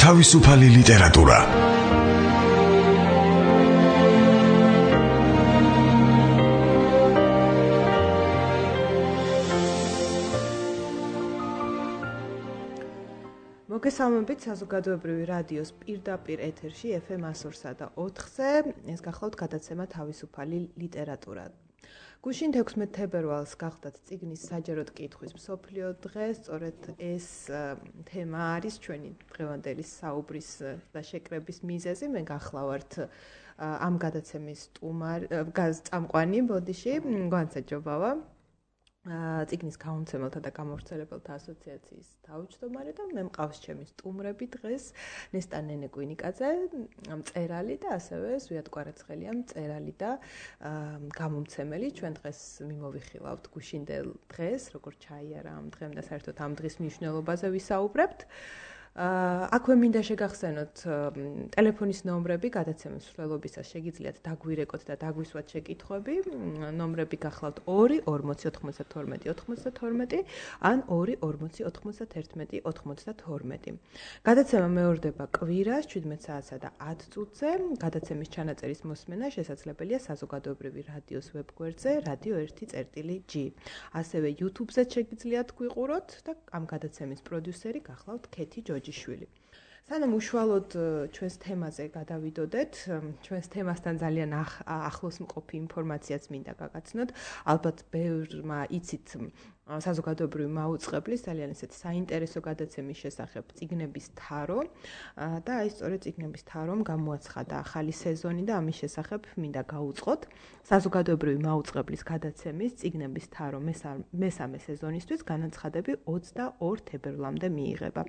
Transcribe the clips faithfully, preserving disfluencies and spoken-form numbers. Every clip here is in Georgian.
თავისუფალი ლიტერატურა. მოგესალმებით საზოგადოებრივი რადიოს პირდაპირ ეთერში ეფ ემ one oh three და ოთხზე. ეს გახლავთ გადაცემა თავისუფალი ლიტერატურა. გუშინ თექვსმეტ თებერვალს გახდათ წიგნის საჯაროდ კითხვის მსოფლიო დღე. სწორედ ეს თემა არის ჩვენი დღევანდელი საუბრის და შეკრების მიზეზი. მე გახლავართ ამ გადაცემის სტუმარი, წამყვანი ბოდიში, განსაჯობავა. წიგნის გამომცემელთა და გამავრცელებელთა ასოციაციის თავმჯდომარე და მე მყავს ჩემი სტუმრები დღეს ნესტა ნენეკვინიკაძე, მწერალი და ასევე ზვიად კვარაცხელია, მწერალი და გამომცემელი. ჩვენ დღეს მიმოვიხილავთ გუშინდელ დღეს, როგორც ჩაიარა ამ დღემ და საერთოდ ამ დღის მნიშვნელობაზე ვისაუბრებთ. აქვე მინდა შეგახსენოთ ტელეფონის ნომრები გადაცემის მსვლელობისას შეგიძლიათ დაგვირეკოთ და დაგვისვათ შეკითხვები. ნომრები გახლავთ ორი ორმოცი ოთხმოცდათორმეტი ოთხმოცდათორმეტი ან ორი ორმოცი ოცდაერთი ოცდათორმეტი. გადაცემა მეორდება კვირას შვიდმეტ საათსა და ათ წუთზე. გადაცემის ჩანაწერის მოსმენა შესაძლებელია საზოგადოებრივი რადიოს ვებგვერდზე რადიო ერთი წერტილი ჯი. ასევე YouTube-ზე შეგიძლიათ გვიყუროთ და ამ გადაცემის პროდიუსერი გახლავთ ქეთი ჯოჯი. სანამ უშუალოდ ჩვენს თემაზე გადავიდოდეთ, ჩვენს თემასთან ძალიან ახლოს მყოფი ინფორმაციაც მინდა გაგაცნოთ. ალბათ ბევრმა იცით საზოგადოებრივი მაუწყებლის ძალიან ესეთ საინტერესო გადაცემის შესახებ წიგნების თარო და აი სწორედ წიგნების თარომ გამოაცხადა ახალი სეზონი და ამის შესახებ მინდა გაუწყოთ. საზოგადოებრივი მაუწყებლის გადაცემის წიგნების თარო მესამე სეზონისთვის განაცხადები ოცდაორ თებერვლამდე მიიღება.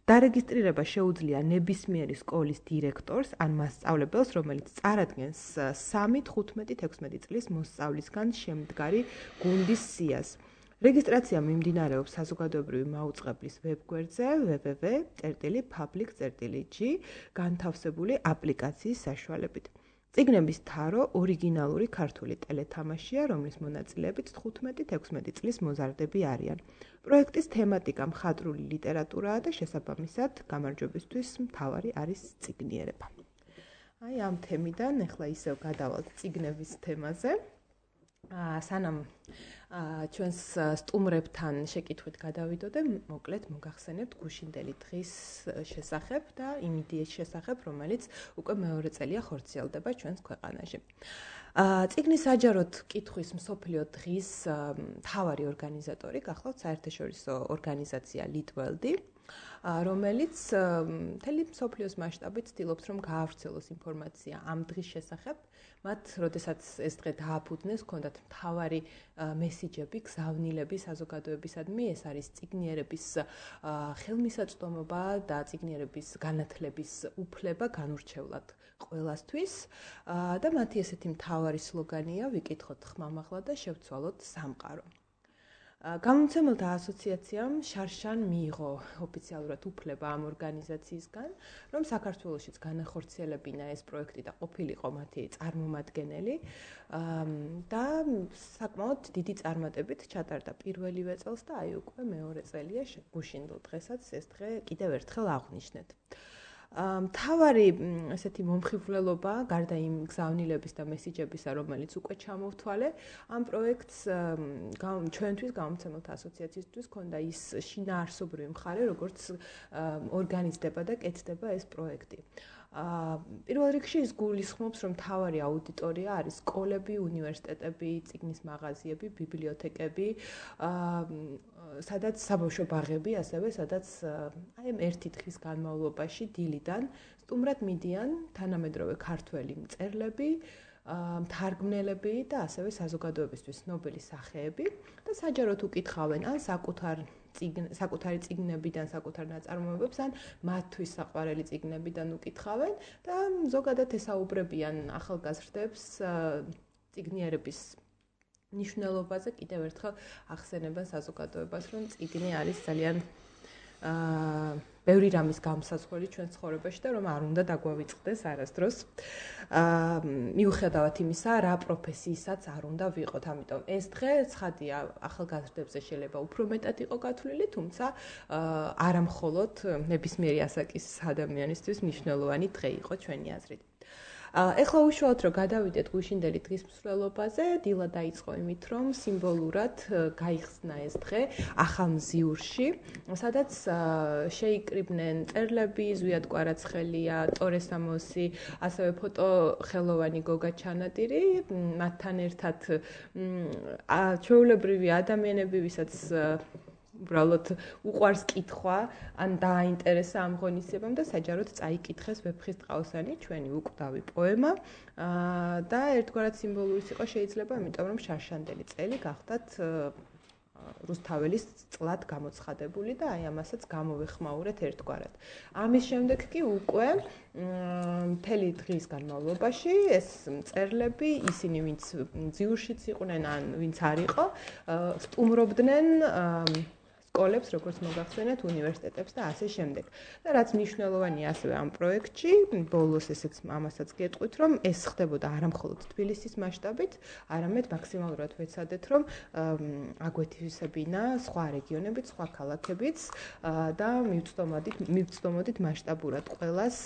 დარეგისტრირება შეუძლია ნებისმიერი სკოლის დირექტორს ან მასწავლებელს, რომელიც წარადგენს სამი, თხუთმეტი, თექვსმეტი წლის მოსწავლისგან შემდგარი გუნდის სიას. რეგისტრაცია მიმდინარეობს საზოგადოებრივი მაუწყებლის ვებგვერდზე double-u double-u double-u წერტილი public წერტილი ჯი განთავსებული აპლიკაციის საშუალებით. წიგნების თარო ორიგინალური ქართული ტელეთამაშია, რომლის მონაწილეებით თხუთმეტი თექვსმეტი წლის მოზარდები არიან. პროექტის თემატიკა მხატვრული ლიტერატურაა და შესაბამისად გამარჯვებისთვის მთავარი არის წიგნიერება. აი ამ თემიდან ახლა ისევ გადავალთ წიგნების თემაზე. სანამ ჩვენს სტუმრებთან შეკითხვით გადავიდოდე, მოკლედ მოგახსენებთ გუშინდელი დღის შესახებ და იმ იდეის შესახებ, რომელიც უკვე მეორე წელია ხორციელდება ჩვენს ქვეყანაში. წიგნის საჯაროდ კითხვის მსოფლიო დღის მთავარი ორგანიზატორი გახლავთ საერთაშორისო ორგანიზაცია ლიტველდი, რომელიც მთელი მსოფლიოს მასშტაბით ცდილობს, რომ გაავრცელოს ინფორმაცია ამ დღის შესახებ. მათ, როდესაც ეს დღე დააფუძნეს, ჰქონდათ მთავარი მესიჯები, გზავნილები საზოგადოებისადმი. ეს არის წიგნიერების ხელმისაწვდომობა და წიგნიერების განათლების უფლება განურჩევლად ყველასთვის. და მათი ესეთი მთავარი სლოგანია ვიკითხოთ ხმამაღლა და შევცვალოთ სამყარო. გამომცემელთა ასოციაციამ შარშან მიიღო ოფიციალურად უფლება ამ ორგანიზაციისგან, რომ საქართველოშიც განახორციელებინა ეს პროექტი და ყოფილიყო მათი წარმომადგენელი და საკმაოდ დიდი წარმატებით ჩატარდა პირველივე წელს და აი უკვე მეორე წელია გუშინდელ დღესაც ეს დღე კიდევ ერთხელ აღვნიშნეთ. მთავარი ესეთი მომხიბვლელობა გარდა იმ გზავნილების და მესიჯებისა, რომელიც უკვე ჩამოვთვალე, ამ პროექტს ჩვენთვის გამომცემელთა ასოციაციისთვის ჰქონდა ის შინაარსობრივი მხარე, როგორც ორგანიზდება და კეთდება ეს პროექტი. პირველ რიგში ის გულისხმობს, რომ მთავარი აუდიტორია არის სკოლები, უნივერსიტეტები, წიგნის მაღაზიები, ბიბლიოთეკები, სადაც საბავშვო ბაღები, ასევე სადაც აი ერთი დღის განმავლობაში დილიდან სტუმრად მიდიან თანამედროვე ქართველი მწერლები, მთარგმნელები და ასევე საზოგადოებისთვის ცნობილი სახეები და საჯაროდ უკითხავენ ან საკუთარ საკუთარი წიგნებიდან, საკუთარ ნაწარმოებებს ან მათთვის საყვარელი წიგნებიდან უკითხავენ და ზოგადად ესაუბრებიან ახალგაზრდებს წიგნიერების მნიშვნელობაზე. კიდევ ერთხელ ახსენებენ საზოგადოებას, რომ წიგნი არის ძალიან აა ბევრი რამის გამსაზღვრელი ჩვენ ცხოვრებაში და რომ არ უნდა დაგვავიწყდეს არასდროს. აა მიუხედავად იმისა, რა პროფესიისაც არ უნდა ვიყოთ, ამიტომ ეს დღე ცხადია ახალგაზრდებზე შეიძლება უფრო მეტად იყო გათვლილი, თუმცა არა მხოლოდ ნებისმიერი ასაკის ადამიანისთვის მნიშვნელოვანი დღე იყო ჩვენი აზრით. ეხლა უშუალოდ რომ გადავიდეთ გუშინდელი დღის მსვლელობაზე, დილა დაიწყო იმით, რომ სიმბოლურად გაიხსნა ეს დღე ახალმზიურში, სადაც შეიკრიბნენ მწერლები, ზვიად კვარაცხელია, ტორე სამოსი, ასევე ფოტოხელოვანი გოგა ჩანადირი, მათთან ერთად ჩვეულებრივი ადამიანები, ვისაც უბრალოდ უყვარს კითხვა, ან დააინტერესა ამ ღონისძიებამ და საჯაროდ წაიკითხეს ვეფხისტყაოსანი, ჩვენი უკვდავი პოემა და ერთგვარად სიმბოლურის იყო შეიძლება, იმიტომ რომ შარშანდელი წელი გახდათ რუსთაველის წლად გამოცხადებული და აი ამასაც გამოვეხმაურეთ ერთგვარად. ამის შემდეგ კი უკვე მთელი დღის განმავლობაში ეს მწერლები, ისინი ვინც ძიურშიც იყვნენ ან ვინც არ იყო, სტუმრობდნენ სკოლებს, როგორც მოგახსენეთ, უნივერსიტეტებს და ასე შემდეგ. და რაც მნიშვნელოვანია ასევე ამ პროექტში, ბოლოს ესეც ამასაც გეტყვით, რომ ეს ხდებოდა არა მხოლოდ თბილისის მასშტაბით, არამედ მაქსიმალურად ვეცადეთ, რომ აგვეთივისებინა სხვა რეგიონებით, სხვა ქალაქებიც და მივწდომოდით, მივწდომოდით მასშტაბურად ყველას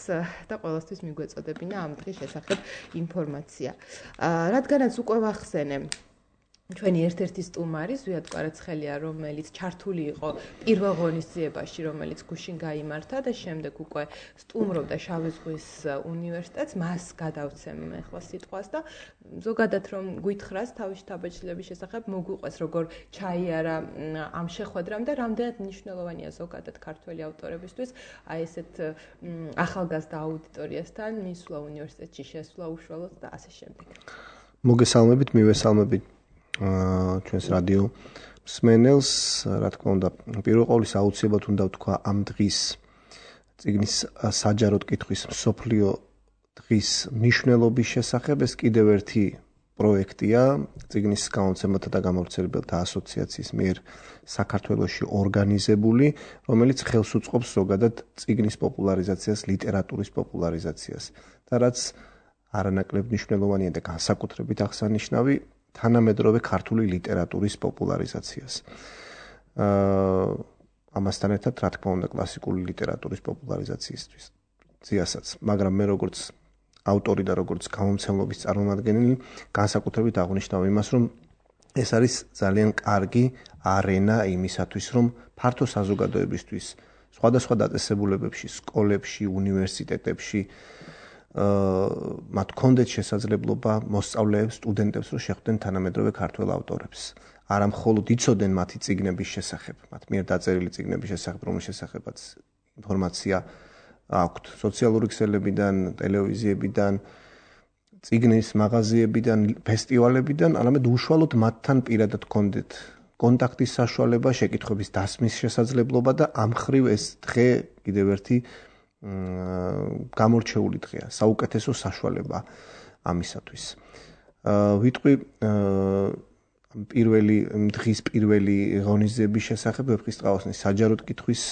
და ყველასთვის მიგვეწოდებინა ამ დღის შესახებ ინფორმაცია. რადგანაც უკვე ვახსენე ჩვენი ერთ-ერთი სტუმარი ზვიად კვარაცხელია, რომელიც ჩართული იყო პირველ ღონისძიებაში, რომელიც გუშინ გაიმართა და შემდეგ უკვე სტუმრობდა შავი ზღვის უნივერსიტეტს, მას გადავცემ ახლა სიტყვას და ზოგადად რომ გვითხრას თავისი თაბაჭდილების შესახებ, მოგვიყვეს როგორ ჩაიარა ამ შეხვედრამ და რამდენად მნიშვნელოვანია ზოგადად ქართველი ავტორებისთვის აი ესეთ ახალგაზრდა აუდიტორიასთან მისვლა უნივერსიტეტში, შესვლა უშუალოდ და ასე შემდეგ. მოგესალმებით, მივესალმებით ჩვენს რადიო მსმენელს, რა თქმა უნდა, პირველ ყოვლისა აუცილებლად უნდა ვთქვა ამ დღის წიგნის საჯაროდ კითხვის მსოფლიო დღის მნიშვნელობის შესახებ. ეს კიდევ ერთი პროექტია წიგნის გამომცემელთა და გამავრცელებელთა ასოციაციის მიერ საქართველოში ორგანიზებული, რომელიც ხელს უწყობს ზოგადად წიგნის პოპულარიზაციას, ლიტერატურის პოპულარიზაციას და რაც არანაკლებ მნიშვნელოვანია და განსაკუთრებით აღსანიშნავი თანამედროვე ქართული ლიტერატურის პოპულარიზაციას. აა ამასთან ერთად, რა თქმა უნდა, კლასიკური ლიტერატურის პოპულარიზაციისთვის ძიასაც, მაგრამ მე როგორც ავტორი და როგორც გამომცემლობის წარმომადგენელი, განსაკუთრებით აღნიშნავ იმას, რომ ეს არის ძალიან კარგი არენა იმისათვის, რომ ფართო საზოგადოებისთვის, სხვადასხვა დაწესებულებებში, სკოლებში, უნივერსიტეტებში მათ კონდეთ შესაძლებლობა მოსწავლეებს, სტუდენტებს, რომ შეხვდნენ თანამედროვე ქართველ ავტორებს. არა მხოლოდ იცოდნენ მათი წიგნების შესახებ, მათ მიერ დაწერილი წიგნების შესახებ, რომლის შესახებაც ინფორმაცია აქვთ სოციალური ქსელებიდან, ტელევიზიებიდან, წიგნის მაღაზიებიდან, ფესტივალებიდან, არამედ უშუალოდ მათთან პირადად კონდეთ კონტაქტის საშუალება, შეკითხვების დასმის შესაძლებლობა და ამ მხრივ ეს დღე კიდევ ერთი გამორჩეული დღეა, საუკეთესო საშუალება ამისათვის. ვიტყვი პირველი დღის პირველი ღონისძიების შესახებ, ვეფხისტყაოსნის საჯაროდ კითხვის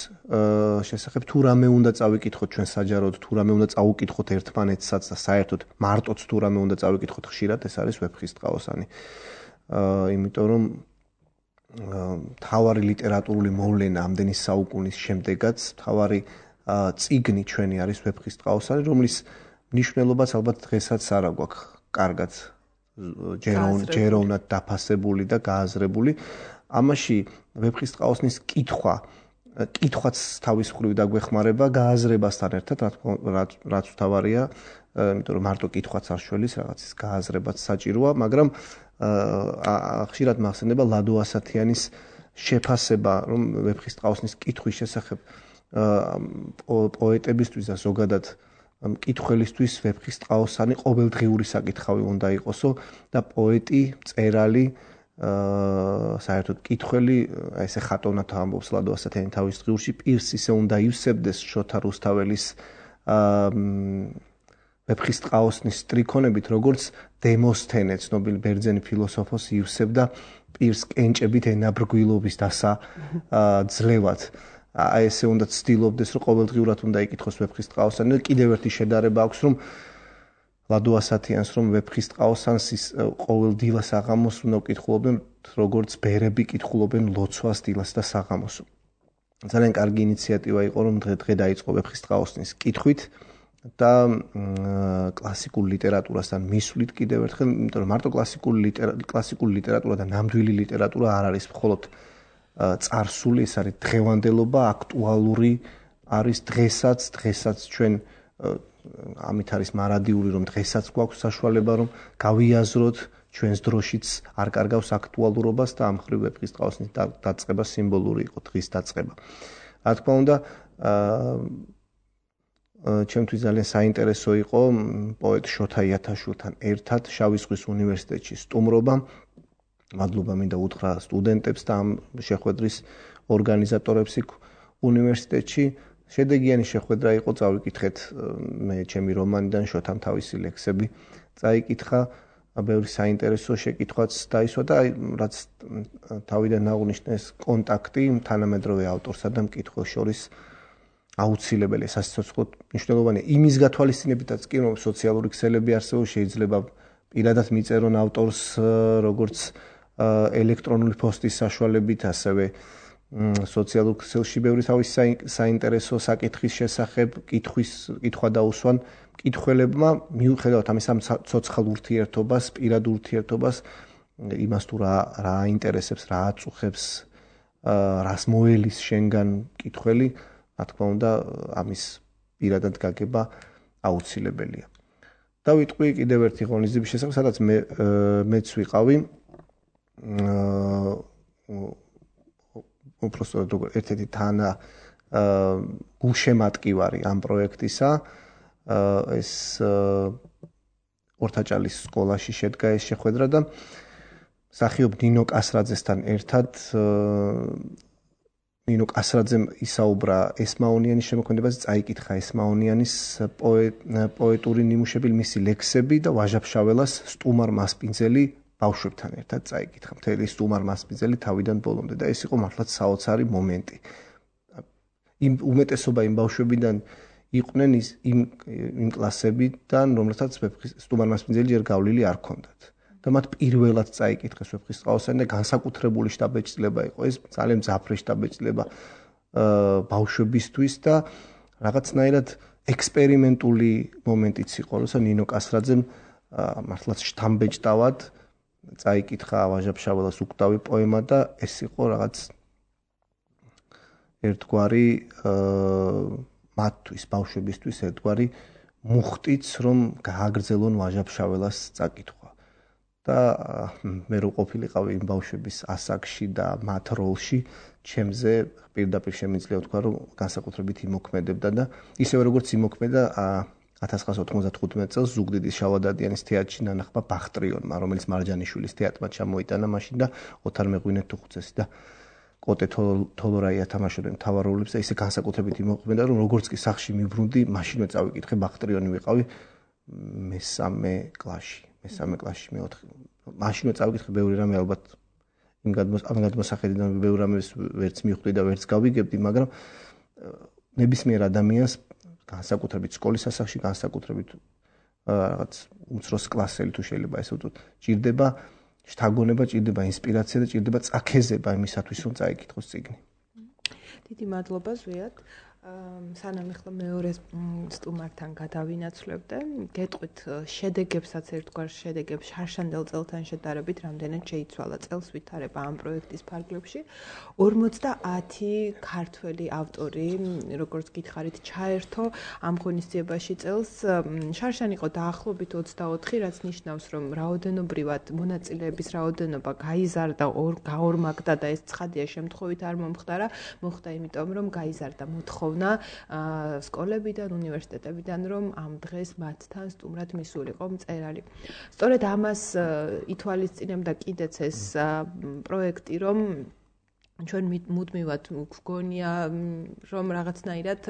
შესახებ, თუ რამე უნდა წავიკითხოთ ჩვენ საჯაროდ, თუ რამე უნდა წაუკითხოთ ერთმანეთსაც და საერთოდ მარტოც თუ რამე უნდა წავიკითხოთ ხშირად, ეს არის ვეფხისტყაოსანი. იმიტომ რომ თავარი ლიტერატურული მოვლენა ამდენი საუკუნის შემდეგაც, თავარი წიგნი ჩვენი არის ვეფხისტყაოსანი, რომლის მნიშვნელობაც ალბათ დღესაც არ აგვაქვს კარგად ჯეროვნად დაფასებული და გააზრებული. ამაში ვეფხისტყაოსნის კითხვა, კითხვაც თავის მხრივ დაგვეხმარება გააზრებასთან ერთად, რაც თავარია, იმიტომ რომ მარტო კითხვაც არ შველის, რაღაცის გააზრებაც საჭიროა, მაგრამ ხშირად მახსენდება ლადო ასათიანის შეფასება, რომ ვეფხისტყაოსნის კითხვის შესახებ პოეტებისთვის და ზოგადად მკითხველისთვის ვეფხისტყაოსანი ყოველდღიური საკითხავი უნდა იყოსო და პოეტი, მწერალი, საერთოდ მკითხველი, ესე ხატოვნად ამბობს ლადო ასათიანი თავის დღიურში, პირს ისე უნდა ივსებდეს შოთა რუსთაველის ვეფხისტყაოსნის სტრიქონებით, როგორც დემოსთენე, ცნობილი ბერძენი ფილოსოფოსი ივსებდა პირს კენჭებით ენაბრგვილობის დასაძლევად. აი ესე უნდა ცდილობდეს, რომ ყოველდღიურად უნდა იკითხოს ვეფხის ტყაოსანი და კიდევ ერთი შედარება აქვს, რომ ლადო ასათიანს რომ ვეფხის ტყაოსანს ყოველ დილას საღამოს უნდა კითხულობდნენ, როგორც ბერები კითხულობენ ლოცვას დილას და საღამოს. ძალიან კარგი ინიციატივა იყო, რომ დღე დღე დაიწყო ვეფხის ტყაოსნის კითხვით და კლასიკურ ლიტერატურასთან მისვლით კიდევ ერთხელ, იმიტომ რომ მარტო კლასიკური ლიტერატურა, კლასიკური ლიტერატურა და ნამდვილი ლიტერატურა არ არის მხოლოდ წარსული, ეს არის დღევანდელობა, აქტუალური არის დღესაც, დღესაც ჩვენ ამით არის მარადიული, რომ დღესაც გვაქვს საშუალება, რომ გავიაზროთ ჩვენს დროშიც არ კარგავს აქტუალურობას და ამ ხრივ ვეფხის ტყაოსნის დაწყება სიმბოლური იყო, დღის დაწყება. რა თქმა უნდა, ჩემთვის ძალიან საინტერესო იყო პოეტ შოთა იათაშვილთან ერთად შავი ზღვის უნივერსიტეტში სტუმრობა. მადლობა მინდა უთხრა სტუდენტებს და ამ შეხვედრის ორგანიზატორებს იქ უნივერსიტეტში. შედეგიანი შეხვედრა იყო, წავიკითხეთ მე ჩემი რომანიდან შოთამ თავისი ლექსები წაიკითხა, ბევრი საინტერესო შეკითხვაც დაისვა და რაც თავიდან აღნიშნეს კონტაქტი თანამედროვე ავტორსა და მკითხველს შორის აუცილებელი, სასიცოცხლოდ მნიშვნელოვანია. იმის გათვალისწინებითაც კი რომ სოციალური ქსელები არსებობს, შეიძლება პირადად მიწერონ ავტორს როგორც ელექტრონული პოსტის საშუალებით, ასევე სოციალურ ქსელში ბევრი თავის საინტერესო საკითხის შესახებ კითხვის კითხვა დაუსვან მკითხველებმა, მიუხედავად ამისა ცოცხალ ურთიერთობას, პირად ურთიერთობას, იმას თუ რა რა აინტერესებს, რა აწუხებს, რას მოელის შენგან მკითხველი, რა თქმა უნდა, ამის პირადად გაგება აუცილებელია. დავიტყვი კიდევ ერთი ღონისძიების შესახებ, სადაც მე მეც ვიყავი. უпростоოდ როგორ ერთ-ერთი თანა გულშემატკივარი ამ პროექტისა, ეს ორთაჭალის სკოლაში შედგა ეს შეხვედრა და მსახიობ ნინო კასრაძესთან ერთად ნინო კასრაძემ ისაუბრა ესმაონიანის შემოქმედებაზე, წაიკითხა ესმაონიანის პოეტური ნიმუშები, მისი ლექსები და ვაჟა-ფშაველას სტუმარ მასპინძელი ბავშვებთან ერთად წაიკითხა. მთელი სტუმარ მასპინძელი თავიდან ბოლომდე და ეს იყო მართლაც საოცარი მომენტი. იმ უმეტესობა იმ ბავშვებიდან იყვნენ ის იმ იმ კლასებიდან, რომლეთაც სტუმარ მასპინძელი ჯერ გავლილი არ ქონდათ. და მათ პირველად წაიკითხეს ვეფხის ტყაოსანი და განსაკუთრებული შტაბ-ეჭდილება იყო ეს, ძალიან მძაფრი შტაბ-ეჭდილება ბავშვებისთვის და რაღაცნაირად ექსპერიმენტული მომენტიც იყო, როცა ნინო კასრაძემ მართლაც შთამბეჭდავად წაიკითხა ვაჟა-ფშაველას უკვდავი პოემა და ეს იყო რაღაც ერთგვარი მათთვის, ბავშვებისთვის ერთგვარი მუხტიც, რომ გააგრძელონ ვაჟა-ფშაველას წაკითხვა. და მე რო ყოფილიყავი იმ ბავშვების ასაკში და მათ როლში, ჩემზე პირდაპირ შემიძლია ვთქვა, რომ განსაკუთრებით იმოქმედებდა და ისევე როგორც იმოქმედა ათას ცხრაასა ოთხმოცდათხუთმეტ წელს ზუგდიდის შავადადიანის თეატრში ნანახმა ბახტრიონმა, რომელიც მარჯანიშვილის თეატრმა ჩამოიტანა მაშინ და ოთარ მეღვინე-თუხუცესი და კოტე თოლორაია თამაშობდნენ მთავარ როლებს და ისე განსაკუთრებით იმოქმედა, რომ როგორც კი სახში მიბრუნდი, მაშინვე წავიკითხე, ბახტრიონი ვიყავი მესამე კლასში. მესამე კლასში, მეოთხე. მაშინვე წავიკითხე ბევრი რამე, ალბათ იმ გადმოსახედიდან ბევრი რამე ვერც მივხვდი და ვერც გავიგებდი, მაგრამ ნებისმიერ ადამიანს განსაკუთრებით სკოლის ასაკში, განსაკუთრებით რაღაც უმცროს კლასელი თუ შეიძლება ესე ვთქვათ, ჭირდება შთაგონება, ჭირდება ინსპირაცია და ჭირდება წაქეზება იმისათვის, რომ წაიკითხოს წიგნი. დიდი მადლობა ზვიად. სანამ ახლა მეორე სტუმართან გადავინაცვლებდე, გეტყვით შედეგებსაც ერთგვარ შედეგებს შარშანდელ წელთან შედარებით რამდენად შეიცვალა წელს ვითარება ამ პროექტის ფარგლებში. ორმოცდაათი ქართველი ავტორი, როგორც გითხარით, ჩაერთო ამ ღონისძიებაში წელს. შარშან იყო დაახლოებით ოცდაოთხი, რაც ნიშნავს, რომ რაოდენობრივად მონაწილეების რაოდენობა გაიზარდა, გაორმაგდა და ეს ცხადია შემთხვევით არ მომხდარა, მოხდა იმიტომ, რომ გაიზარდა მოთხოვნა სკოლებიდან, უნივერსიტეტებიდან, რომ ამ დღეს მათთან სტუმრად მისულიყო მწერალი. სწორედ ამას ითვალისწინებდა კიდეც ეს პროექტი, რომ ჩვენ მუდმივად გვგონია რომ რაღაცნაირად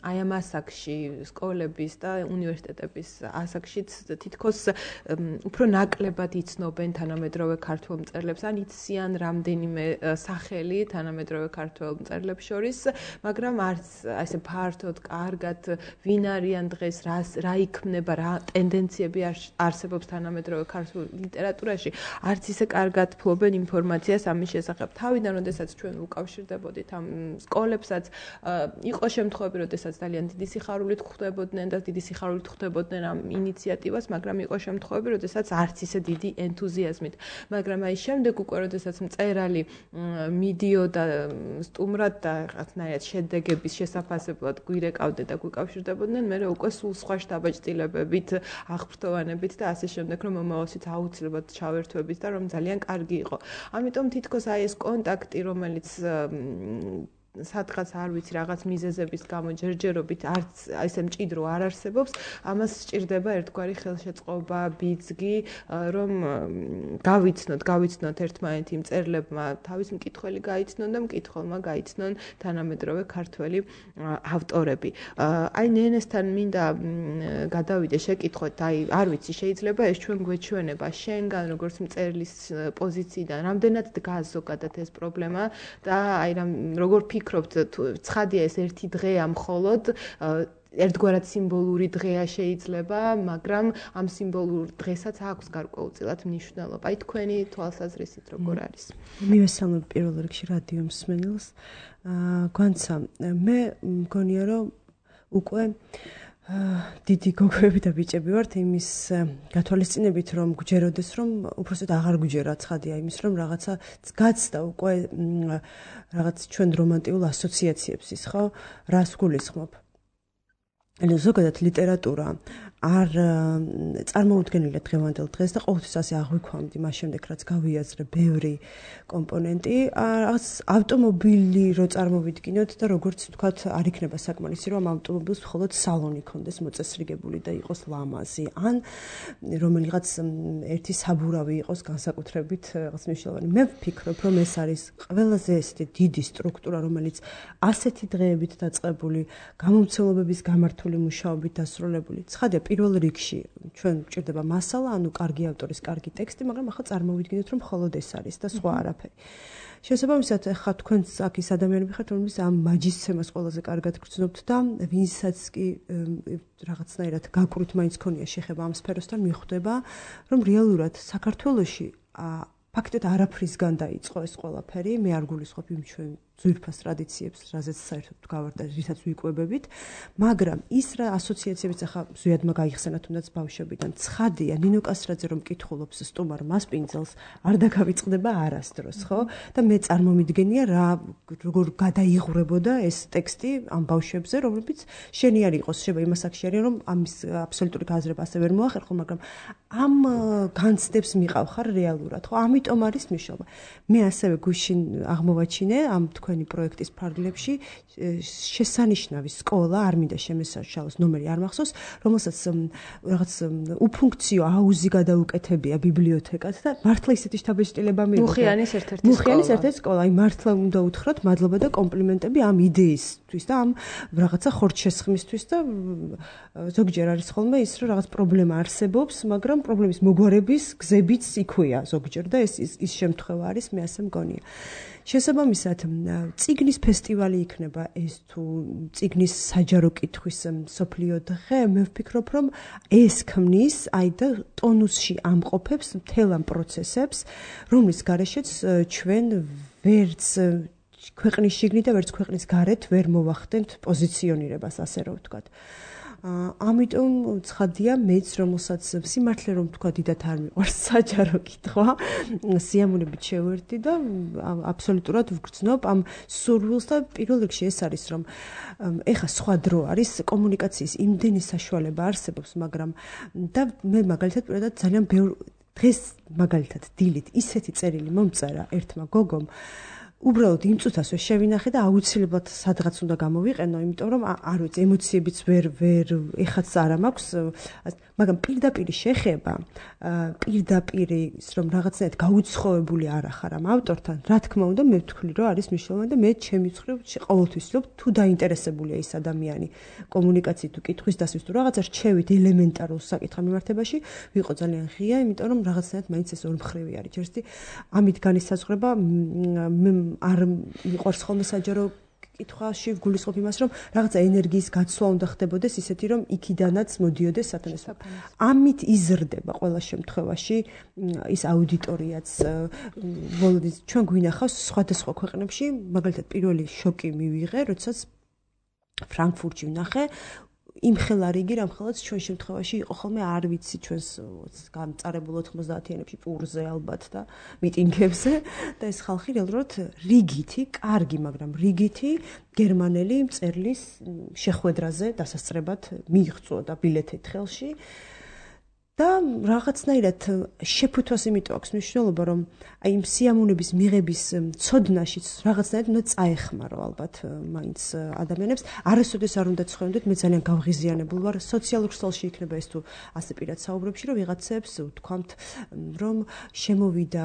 აი ამ ასაკში სკოლების და უნივერსიტეტების ასაკშიც თითქოს უფრო ნაკლებად იცნობენ თანამედროვე ქართველ მწერლებს ან იციან რამდენიმე სახელი თანამედროვე ქართველ მწერლებს შორის, მაგრამ არც ასე ფართოდ კარგად ვინ არიან დღეს, რა იქმნება, რა ტენდენციები არსებობს თანამედროვე ქართულ ლიტერატურაში, არც ისე კარგად ფლობენ ინფორმაციას ამის შესახებ. თავიდან, როდესაც ჩვენ უკავშირდებოდით ამ სკოლებსაც, იყო შემთხვევები, როდესაც ძალიან დიდი სიხარულით ხვდებოდნენ და დიდი სიხარულით ხვდებოდნენ ამ ინიციატივას, მაგრამ იყო შემთხვევები, როდესაც არც ისე დიდი ენთუზიაზმით. მაგრამ აი შემდეგ უკვე, როდესაც მწერალი მიდიოდა სტუმრად და რაღაცნაირად შედეგების შესაფასებლად გვირეკავდა და გვიკავშირდებოდნენ, მე უკვე სულ სხვა შთაბეჭდილებებით, აღფრთოვანებით და ასე შემდეგ, რომ მომავალშიც აუცილებლად ჩავერთვებით და რომ ძალიან კარგი იყო. ამიტომ თითქოს აი ეს კონტაქტი, რომელიც სადღაც არ ვიცი რაღაც მიზეზების გამო ჯერჯერობით არც ესე მჭიდრო არ არსებობს, ამას სჭირდება ერთგვარი ხელშეწყობა, ბიძგი, რომ გავიცნოთ, გავიცნოთ ერთმანეთი მწერლებმა თავის მკითხველი გაიცნონ და მკითხველმა გაიცნონ თანამედროვე ქართველი ავტორები. აი ნენესთან მინდა გადავიდე შეკითხოთ, აი არ ვიცი, შეიძლება ეს ჩვენ გვეჩვენება შენგან როგორც მწერლის პოზიციიდან, რამდენად დგას ზოგადად ეს პრობლემა და აი რამ როგორ ფიქრობთ, ცხადია ეს ერთი დღეა მხოლოდ ერთგვარად სიმბოლური დღეა შეიძლება, მაგრამ ამ სიმბოლურ დღესაც აქვს გარკვეულწილად მნიშვნელობა. აი თქვენი თვალსაზრისით როგორ არის? მივესალმებ პირველ რიგში რადიო მსმენელს. გვანცა, მე მგონია რომ უკვე დიდი გოგოები და ბიჭები ვართ იმის გათვალისწინებით, რომ გვჯეროდეს, რომ უბრალოდ აღარ გვჯერა ცხადია იმის, რომ რაღაცა გაცდა უკვე რაღაც ჩვენ რომანტიულ ასოციაციებს ის, ხო? რას გულისხმობ? ანუ ზოგადად ლიტერატურა არ წარმოუდგენელია დღევანდელ დღეს და ყოველთვის ასე აღვიქვამდი მას შემდეგ, რაც გავიაზრე ბევრი კომპონენტი, რაღაც ავტომობილი რო წარმოვიდგინოთ და როგორც ვთქვათ, არ იქნება საკმარისი, რომ ამ ავტომობილს მხოლოდ სალონი ქონდეს მოწესრიგებული და იყოს ლამაზი, ან რომელიღაც ერთი საბურავი იყოს განსაკუთრებით რაღაც მნიშვნელოვანი. მე ვფიქრობ, რომ ეს არის ყველაზე ესეთი დიდი სტრუქტურა, რომელიც ასეთი დღეებით დაწყებული, გამომცემლობების გამართული მუშაობით დასრულებული. ცხადია, პირველ რიგში ჩვენ გვჭირდება მასალა, ანუ კარგი ავტორის კარგი ტექსტი, მაგრამ ახლა წარმოვიდგინოთ, რომ მხოლოდ ეს არის და სხვა არაფერი. შესაბამისად, ახლა თქვენც აქ ის ადამიანები ხართ, რომლებიც ამ მაჯისცემას ყველაზე კარგად გრძნობთ და ვინცაც კი რაღაცნაირად გაკვრით მაინც ქონია შეხება ამ სფეროსთან, მიხვდება, რომ რეალურად საქართველოში ფაქტობრივად არაფრისგან დაიწყო ეს ყველაფერი, მე არ გულისხმობ იმ ჩვენ ძვირფას ტრადიციებს, რაზეც საერთოდ გავარდა, რითაც ვიკვებებით, მაგრამ ის რა ასოციაციებიც ახლა ზუსტად გაიხსენა თუნდაც ბავშვებიდან. ცხადია, ნინო კასრაძე რომ კითხულობს სტუმარ მასპინძელს, არ დაგავიწყდება არასდროს, ხო? და მე წარმომიდგენია რა როგორ გადაიღურებოდა ეს ტექსტი ამ ბავშვებზე, რომლებიც შენიარი იყოს, შეიძლება იმას აქ შენია, რომ ამის აბსოლუტური გაზრება ასე ვერ მოახერხო, მაგრამ ამ განცდებს მიყავ ხარ რეალურად, ხო? ამიტომ არის მნიშვნელობა. მე ასევე გუშინ აღმოვაჩინე ამ თქვენი პროექტის ფარგლებში შესანიშნავი სკოლა, არ მინდა შემესაშალოს, ნომერი არ მახსოვს, რომელსაც რაღაც უფუნქციო აუზი გადაუკეთებია ბიბლიოთეკად და მართლა ისეთი შთაბეჭდილება მიიღო. მუხიანის ერთ-ერთი სკოლა. მუხიანის ერთ-ერთი სკოლა. აი მართლა უნდა უთხრათ მადლობა და კომპლიმენტები ამ იდეისთვის და ამ რაღაცა ხორცშესხმისთვის და ზოგჯერ არის ხოლმე ის, რომ რაღაც პრობლემა არსებობს, მაგრამ პრობლემის მოგვარების გზებიც იქვეა ზოგჯერ და ეს ის შემთხვევა არის, მე ასე მგონია. შესაბამისად, წიგნის ფესტივალი იქნება ეს თუ წიგნის საჯარო კითხვის მსოფლიო დღე, მე ვფიქრობ, რომ ეს ქმნის აი და ტონუსში ამყოფებს მთელ ამ პროცესებს, რომლის გარეშეც ჩვენ ვერც ქვეყნის შიგნით და ვერც ქვეყნის გარეთ ვერ მოვახდენთ პოზიციონირებას, ასე რომ ვთქვათ. ამიტომ ცხადია მეც, რომელსაც სიმართლე რომ თქვა დიდათ არ მიყვარს საჯარო კითხვა, სიამოვნებით შევერთდი და აბსოლუტურად ვგრძნობ ამ სურვილს და პირველ რიგში ეს არის, რომ ეხა სხვა დრო არის, კომუნიკაციის იმდენი საშუალება არსებობს, მაგრამ და მე მაგალითად პირადად ძალიან ბევრ დღეს მაგალითად დილით ისეთი წერილი მომწერა ერთმა გოგომ, უბრალოდ იმ წუთას ვერ შევინახე და აუცილებლად სადღაც უნდა გამოვიყენო, იმიტომ რომ არ ვიცი, ემოციებიც ვერ ვერ ეხაც არ მაქვს, მაგრამ პირდაპირ შეხება, პირდაპირ ის რომ რაღაცნაირად გაუცხოვებული არ ახარ ამ ავტორთან, რა თქმა უნდა, მე ვთქვი, რომ არის მნიშვნელოვანი და მე ჩემი მხრივ ყოველთვის ვთქვი, თუ დაინტერესებულია ის ადამიანი კომუნიკაციით, თუ კითხვის დასვის, თუ რაღაცა რჩევით ელემენტარულ საკითხ მიმართებაში, ვიყო ძალიან ღია, იმიტომ რომ რაღაცნაირად მაინც ეს ორმხრივი არის. ჯერსი ამით განისაზღვრება მე არ მიყვარს ხოლმე საჯარო კითხვაში ვგულისხმობ იმას, რომ რაღაცა ენერგიის გაცვლა უნდა ხდებოდეს ისეთი, რომ იქიდანაც მოდიოდეს სათანადო. ამით იზრდება ყველა შემთხვევაში ის აუდიტორიაც. ბოლოდით ჩვენ გვინახავს სხვადასხვა ქვეყნებში, მაგალითად პირველი შოკი მივიღე, როდესაც ფრანკფურტში ვნახე იმ ხელარიგი რამხელაც ჩვენ შემთხვევაში იყო ხოლმე არ ვიცი ჩვენს გამწარებულ ოთხმოცდაათიანებში პურზე ალბათ და მიტინგებზე და ეს ხალხი რეალურად რიგითი, კარგი, მაგრამ რიგითი გერმანელი მწერლის შეხვედრაზე დასასწრებად მიიღწევა და ბილეთით ხელში და რაღაცნაირად შეფუთვას იმიტომ აქვს მნიშვნელობა, რომ აი იმ სიამოვნების მიღების ცოდნაშიც რაღაცნაირად უნდა წაეხმარო ალბათ მაინც ადამიანებს. არასოდეს არ უნდა ცხოვდეთ, მე ძალიან გავღიზიანებულ ვარ სოციალურ ქსელში იქნება ეს თუ ასე პირად საუბრებში, რომ ვიღაცებს ვთქვამთ, რომ შემოვიდა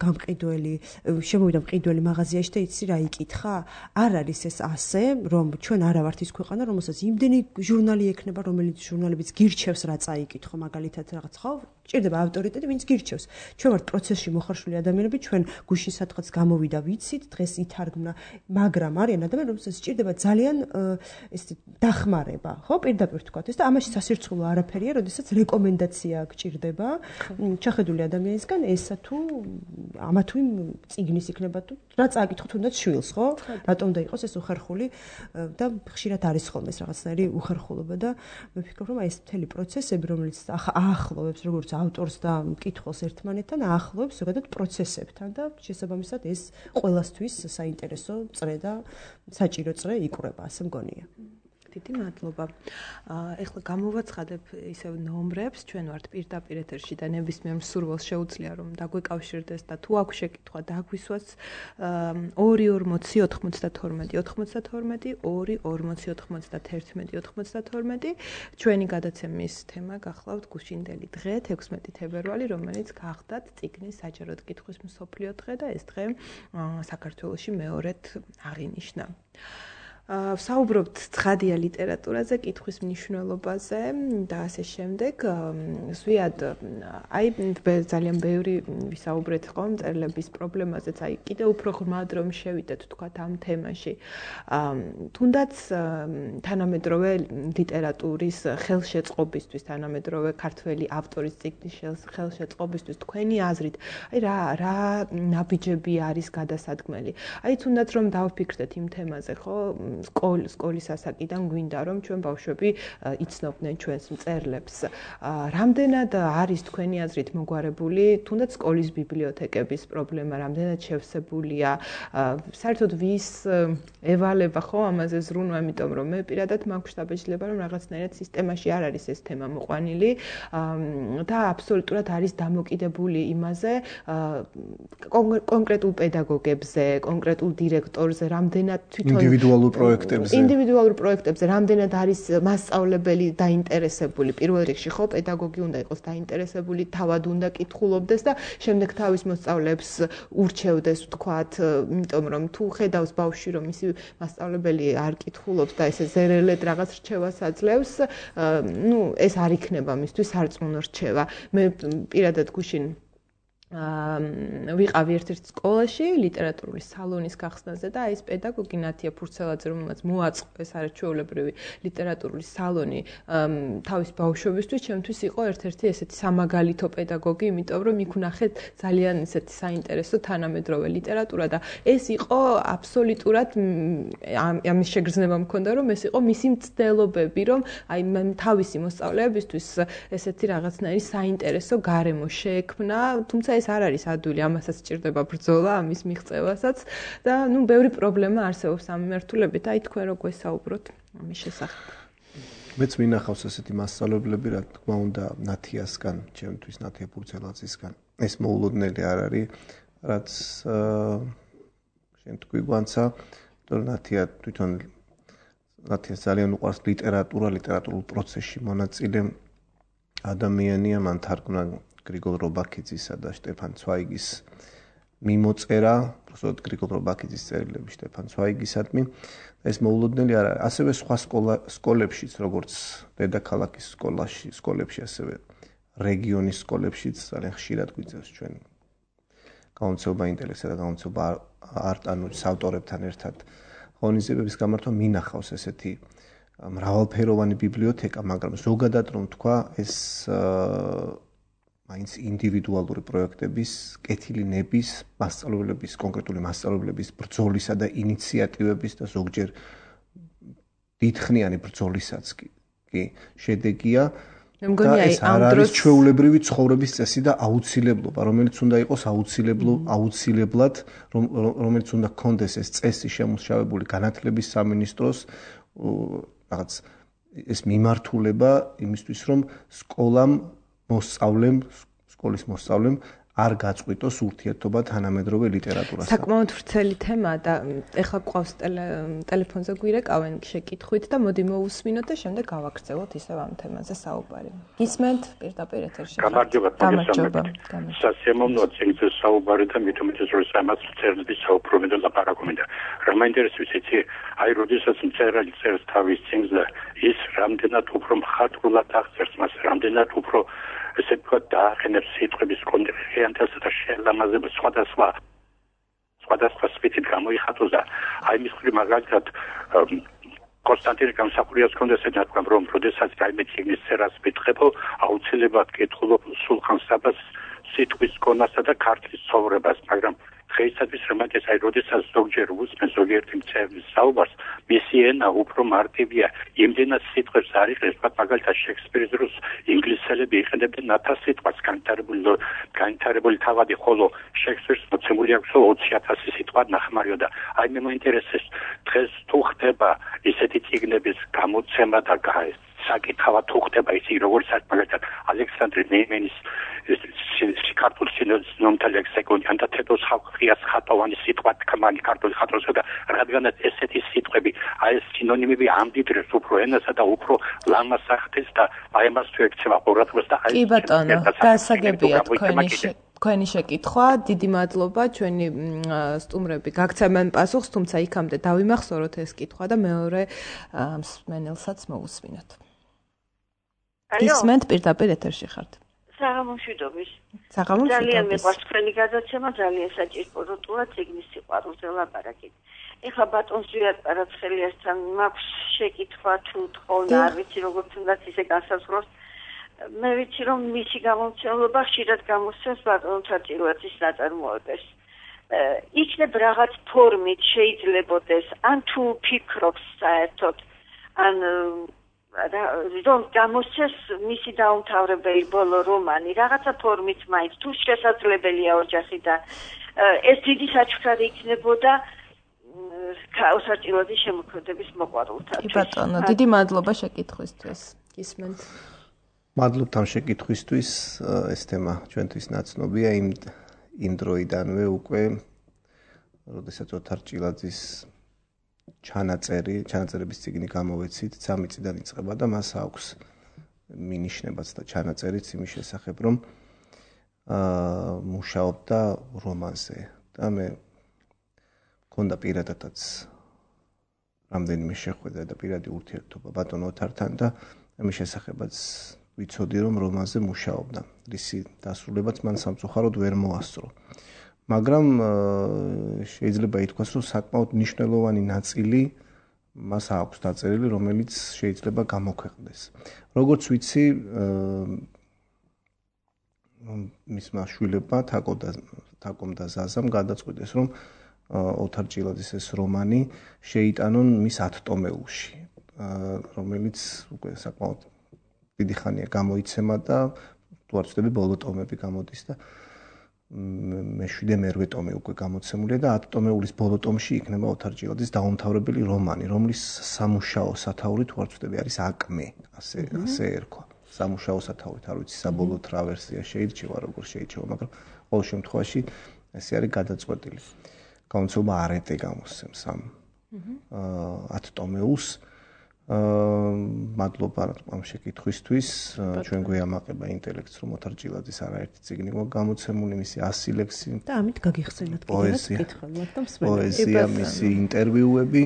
გამყიდველი, შემოვიდა მყიდველი მაღაზიაში და იცი რა იკითხა? არ არის ეს ასე, რომ ჩვენ არა ვართ ის ქვეყანა, რომელსაც იმდენი ჟურნალი ექნება, რომელიც ჟურნალებიც გირჩევს რა წაიკითხო, მაგალითად რაღაც ხო ჭირდება ავტორიტეტი, ვინც გირჩევს. ჩვენ ვართ პროცესში მოხარშული ადამიანები, ჩვენ გუშინ სადღაც გამოვიდა ვიცით, დღეს ითარგმნა, მაგრამ არიან ადამიანები, რომელსაც ჭირდება ძალიან ეს დახმარება, ხო, პირდაპირ ვთქვათ ეს და ამაში სასირცხულო არაფერია, როდესაც რეკომენდაცია გჭირდება ჩახედული ადამიანისგან, ესა თუ ამა თუ იმ წიგნის იქნება თუ რა წააკითხო თუნდაც შვილს, ხო? რატომ უნდა იყოს ეს უხერხული და ხშირად არის ხოლმე ეს რაღაცნაირი უხერხულობა და მე ვფიქრობ, რომ აი ეს მთელი პროცესები, რომელიც აახლოვებს როგორც ავტორს და მკითხველს ერთმანეთთან, აახლოვებს ზოგადად პროცესებთან და შესაბამისად ეს ყველასთვის საინტერესო წრე და საჭირო წრე იკვრება, ასე მგონია. დიდი მადლობა. ეხლა გამოვაცხადებ ისევ ნომრებს, ჩვენ ვართ პირდაპირ ეთერში და ნებისმიერ მსურველს შეუძლია რომ დაგვეკავშირდეს და თუ აქვს შეკითხვა დაგვისვას ორი ორმოცი ოთხმოცდათორმეტი ოთხმოცდათორმეტი ორი ორმოცი ოთხმოცდათერთმეტი ოთხმოცდათორმეტი ჩვენი გადაცემის თემა გახლავთ გუშინდელი დღე თექვსმეტი თებერვალი, რომელიც გახდათ წიგნის საჯაროდ კითხვის მსოფლიო დღე და ეს დღე საქართველოში მეორედ აღინიშნა. ვსაუბრობთ ცხადია ლიტერატურაზე, კითხვის მნიშვნელობაზე და ასე შემდეგ. ზვიად, აი ძალიან ბევრი ვისაუბრეთ ხომ მწერლების პრობლემაზეც, აი კიდევ უფრო ღრმად რომ შევიდეთ თქვათ ამ თემაში. თუნდაც თანამედროვე ლიტერატურის ხელშეწყობისთვის, თანამედროვე ქართველი ავტორის წიგნის ხელშეწყობისთვის თქვენი აზრით, აი რა რა ნაბიჯები არის გადასადგმელი. აი თუნდაც რომ დავფიქრდეთ იმ თემაზე, ხო? სკოლის ასაკიდან გვინდა რომ ჩვენ ბავშვები იცნობდნენ ჩვენს მწერლებს. რამდენად არის თქვენი აზრით მოგვარებული თუნდაც სკოლის ბიბლიოთეკების პრობლემა, რამდენად შევსებულია, საერთოდ ვის ევალება ხო ამაზე ზრუნვა, იმიტომ რომ მე პირადად მაქვს დაბეჭდილება რომ რაღაცნაირად სისტემაში არ არის ეს თემა მოყვანილი და აბსოლუტურად არის დამოკიდებული იმაზე კონკრეტულ პედაგოგებზე, კონკრეტულ დირექტორზე, რამდენად თვითონ ინდივიდუალურ პროექტებზე ინდივიდუალურ პროექტებზე რამდენად არის მასწავლებელი დაინტერესებული, პირველ რიგში ხო პედაგოგი უნდა იყოს დაინტერესებული, თავად უნდა კითხულობდეს და შემდეგ თავის მოსწავლეებს ურჩევდეს ვთქვათ, იმიტომ რომ თუ ხედავს ბავშვი რომ ისი მასწავლებელი არ კითხულობს და ესე ზერელედ რაღაც რჩევას აძლევს, ნუ ეს არ იქნება მისთვის სარწმუნო რჩევა. მე პირადად გუშინ ვიყავი ერთ-ერთ სკოლაში ლიტერატურული სალონის გახსნაზე და ეს პედაგოგი ნათია ფურცელაძე, რომელმაც მოაწყო ეს არაჩვეულებრივი ლიტერატურული სალონი თავის ბავშვებისთვის, ჩემთვის იყო ერთ-ერთი ესეთი სამაგალითო პედაგოგი, იმიტომ რომ იქ ვნახეთ ძალიან ესეთი საინტერესო თანამედროვე ლიტერატურა და ეს იყო აბსოლუტურად ამის შეგრძნება მქონდა, რომ ეს იყო მისი მცდელობები, რომ აი თავისი მოსწავლეებისთვის ესეთი რაღაცნაირი საინტერესო გარემო შეექმნა, თუმცა ეს არ არის ადვილი, ამასაც სჭირდება ბრძოლა, ამის მიღწევასაც და ნუ ბევრი პრობლემა არსებობს ამ მიმართულებით. აი თქვენ რო გვესაუბროთ ამის შესახებ. მეც მინახავს ესეთი მასწავლებლები, რა თქმა უნდა, ნათიასგან, ჩემთვის ნათია ფურცელაძისგან. ეს მოულოდნელი არ არის, რაც შენ თქვი გვანცა, იმიტომ რომ ნათია თვითონ ნათიას ძალიან უყვარს ლიტერატურა, ლიტერატურულ პროცესში მონაწილე ადამიანია, მან თარგმნა გრიგოლ რობაქიძისა და შტეფან ცვაიგის მიმოწერა, უბრალოდ გრიგოლ რობაქიძის წერილები შტეფან ცვაიგისადმი. ეს მოულოდნელი არ არის. ასევე სხვა სკოლებშიც, როგორც დედაქალაქის სკოლაში, სკოლებში, ასევე რეგიონის სკოლებშიც ძალიან ხშირად გვიწევს ჩვენ გაუნცეობა ინტელექტსა და გაუნცეობა არტანურის ავტორებთან ერთად ღონისძიებების გამართვა მინახავს ესეთი მრავალფეროვანი ბიბლიოთეკა, მაგრამ ზოგადად რომ თქვა, ეს მაინც ინდივიდუალური პროექტების, კეთილი ნების, მასწავლებლების, კონკრეტული მასწავლებლების ბრძოლისა და ინიციატივების და ზოგჯერ დიდხნიანი ბრძოლისაც კი შედეგია. მე მგონია აი ამ დროს ჩვეულებრივი ცხოვრების წესი და აუცილებლობა, რომელიც უნდა იყოს აუცილებლად, რომელიც უნდა გქონდეს ეს წესი შემუშავებული განათლების სამინისტროს რაღაც ეს მიმართულება იმისთვის, რომ სკოლამ მოსწავლემ, სკოლის მოსწავლემ არ გაწყვიტოს ურთიერთობა თანამედროვე ლიტერატურასთან. საკმაოდ ვრცელი თემა და ეხლა გვყავს ტელეფონზე გვირეკავენ შეკითხვით და მოდი მოусმინოთ და შემდეგ გავაგრძელოთ ისევ ამ თემაზე საუბარი. გისმენთ პირდაპირ ეთერში. გამარჯობა, გამარჯობა. სასიამოვნოა ციგნზე საუბარი და მით უმეტეს რომ სამას წერილების საუბრობენ და ლაპარაკობენ და რა მაინტერესებს იცი, აი როდესაც მწერალი წერს თავის ციგნზე, ის რამდენად უფრო მხატვრულად აღწერს მას, რამდენად უფრო ესე თქვა დაახენებს სიტყვების კონტექსტიანთასა და შეელამაზება სხვადასხვა სხვადასხვა სპეციფიკ გამოიხატოს და აი მის მხრივ მაგალითად კონსტანტინე გამსახურიას კონდეს ეთქვა რომ როდესაც რაიმე ციგნის წერას მითხებო აუცილებლად კითხულობ სულხან საბას სიტყვის კონასა და ქართლის ცხოვრებას, მაგრამ დღეისათვის რომელსაც აი როდესაც ზოგჯერ უსმენ ზოგიერთი მწერლის საუბარს, მისი ენა უფრო მარტივია, იმდენად სიტყვებს არ იღებს, მაგალითად შექსპირის დროს ინგლისელები იყენებდნენ ნათას სიტყვას განვითარებული განვითარებული თავადი, ხოლო შექსპირს მოცემული აქვს ოცი ათასი სიტყვა ნახმარიო და აი მე მაინტერესებს დღეს თუ ხდება ისეთი ციგნების გამოცემა და საკითხავად თუ ხდება ისი როგორც მაგალითად ალექსანდრე ნეიმენის ქართულ სინონიმთა ლექსიკონი და თეთოს ხალხიას ხატოვანი სიტყვა თქმანი ქართული ხატროსა და რადგანაც ესეთი სიტყვები აი ეს სინონიმები ამდიდრებს უფრო ენასა და უფრო ლამას ახდენს და აი ამას თუ ექცევა ყურადღებას და აი კი ბატონო, გასაგებია თქვენი თქვენი შეკითხვა, დიდი მადლობა, ჩვენი სტუმრები გაგცემენ პასუხს, თუმცა იქამდე დავიმახსოვროთ ეს კითხვა და მეორე მსმენელსაც მოусმინოთ. გისმენთ პირდაპირ ეთერში ხართ. საღამომშვიდობის. საღამომშვიდობის. ძალიან მიყვარს თქვენი გადაცემა, ძალიან საჭიროა ციგნის სიყვარულზე ლაპარაკით. ეხლა ბატონს ვიად პარაცხელიასთან მაქვს შეკითხვა თუ თქონ არ ვიცი როგორც უნდა ისე განსაზღვროს. მე ვიცი რომ მისი გამომცემლობა ხშირად გამოსცემს ბატონთა წილვეთის ნაწარმოებებს. იქნებ რაღაც ფორმით შეიძლებოდეს, ან თუ ფიქრობს საერთოდ, ან რომ გამოსცეს მისი დაუმთავრებელი ბოლო რომანი, რაღაცა ფორმით მაინც თუ შესაძლებელია ოჯახიდან, ეს დიდი საჩუქარი იქნებოდა საჭიროების შემოქმედების მოყვარულთათვის. კი ბატონო, დიდი მადლობა შეკითხვისთვის. გისმენთ. მადლობთ ამ შეკითხვისთვის, ეს თემა ჩვენთვის ნაცნობია იმ იმ დროიდანვე უკვე, როდესაც ოთარ ჭილაძის ჩანაწერი, ჩანაწერების წიგნი გამოვეცით, სამი წლიდან იწყება და მას აქვს მინიშნებაც და ჩანაწერიც იმის შესახებ, რომ აა მუშაობდა რომანზე და მე მქონდა პირადადაც რამდენიმე შეხვედრა და პირადი ურთიერთობა ბატონ ოთართან და ამის შესახებაც ვიცოდი რომ რომანზე მუშაობდა. ისი დასრულებაც მან სამწუხაროდ ვერ მოასწრო. მაგრამ შეიძლება ითქვას, რომ საკმაოდ მნიშვნელოვანი ნაწილი მას აქვს დაწერილი, რომელიც შეიძლება გამოქვეყნდეს. როგორც ვიცი, მისმა შვილებმა თაკომ და თაკომ და ზაზამ გადაწყვიტეს, რომ ოთარ ჭილაძის ეს რომანი შეიტანონ მის ათტომეულში, რომელიც უკვე საკმაოდ დიდი ხანია გამოიცემა და თუ არ ვცდები ბოლო ტომები გამოდის და მეშვიდე მერვე ტომი უკვე გამოცემულია და ათ ტომეულის ბოლო ტომში იქნება ოთარ ჭილაძის დაუმთავრებელი რომანი, რომლის სამუშაო სათაური თუ არ ვცდები არის აკმე, ასე ასე ერქვა. სამუშაო სათაურით არ ვიცი საბოლოოდ რა ვერსია შეირჩევა, როგორ შეირჩევა, მაგრამ ყოველ შემთხვევაში ესე არის გადაწყვეტილი. გამოცემა არეტე გამოსცემს ამ ათ ტომეულს. აა მადლობა ამ შეკითხვისთვის. ჩვენ გვეამაყება ინტელექტს, რომ ოთარ ჭილაძის არაერთი წიგნი გამოცემული, მისი ასი ლექსი და ამით გაგიხსენოთ კიდევაც კითხველად და მსმენელს. პოეზია, მისი ინტერვიუები,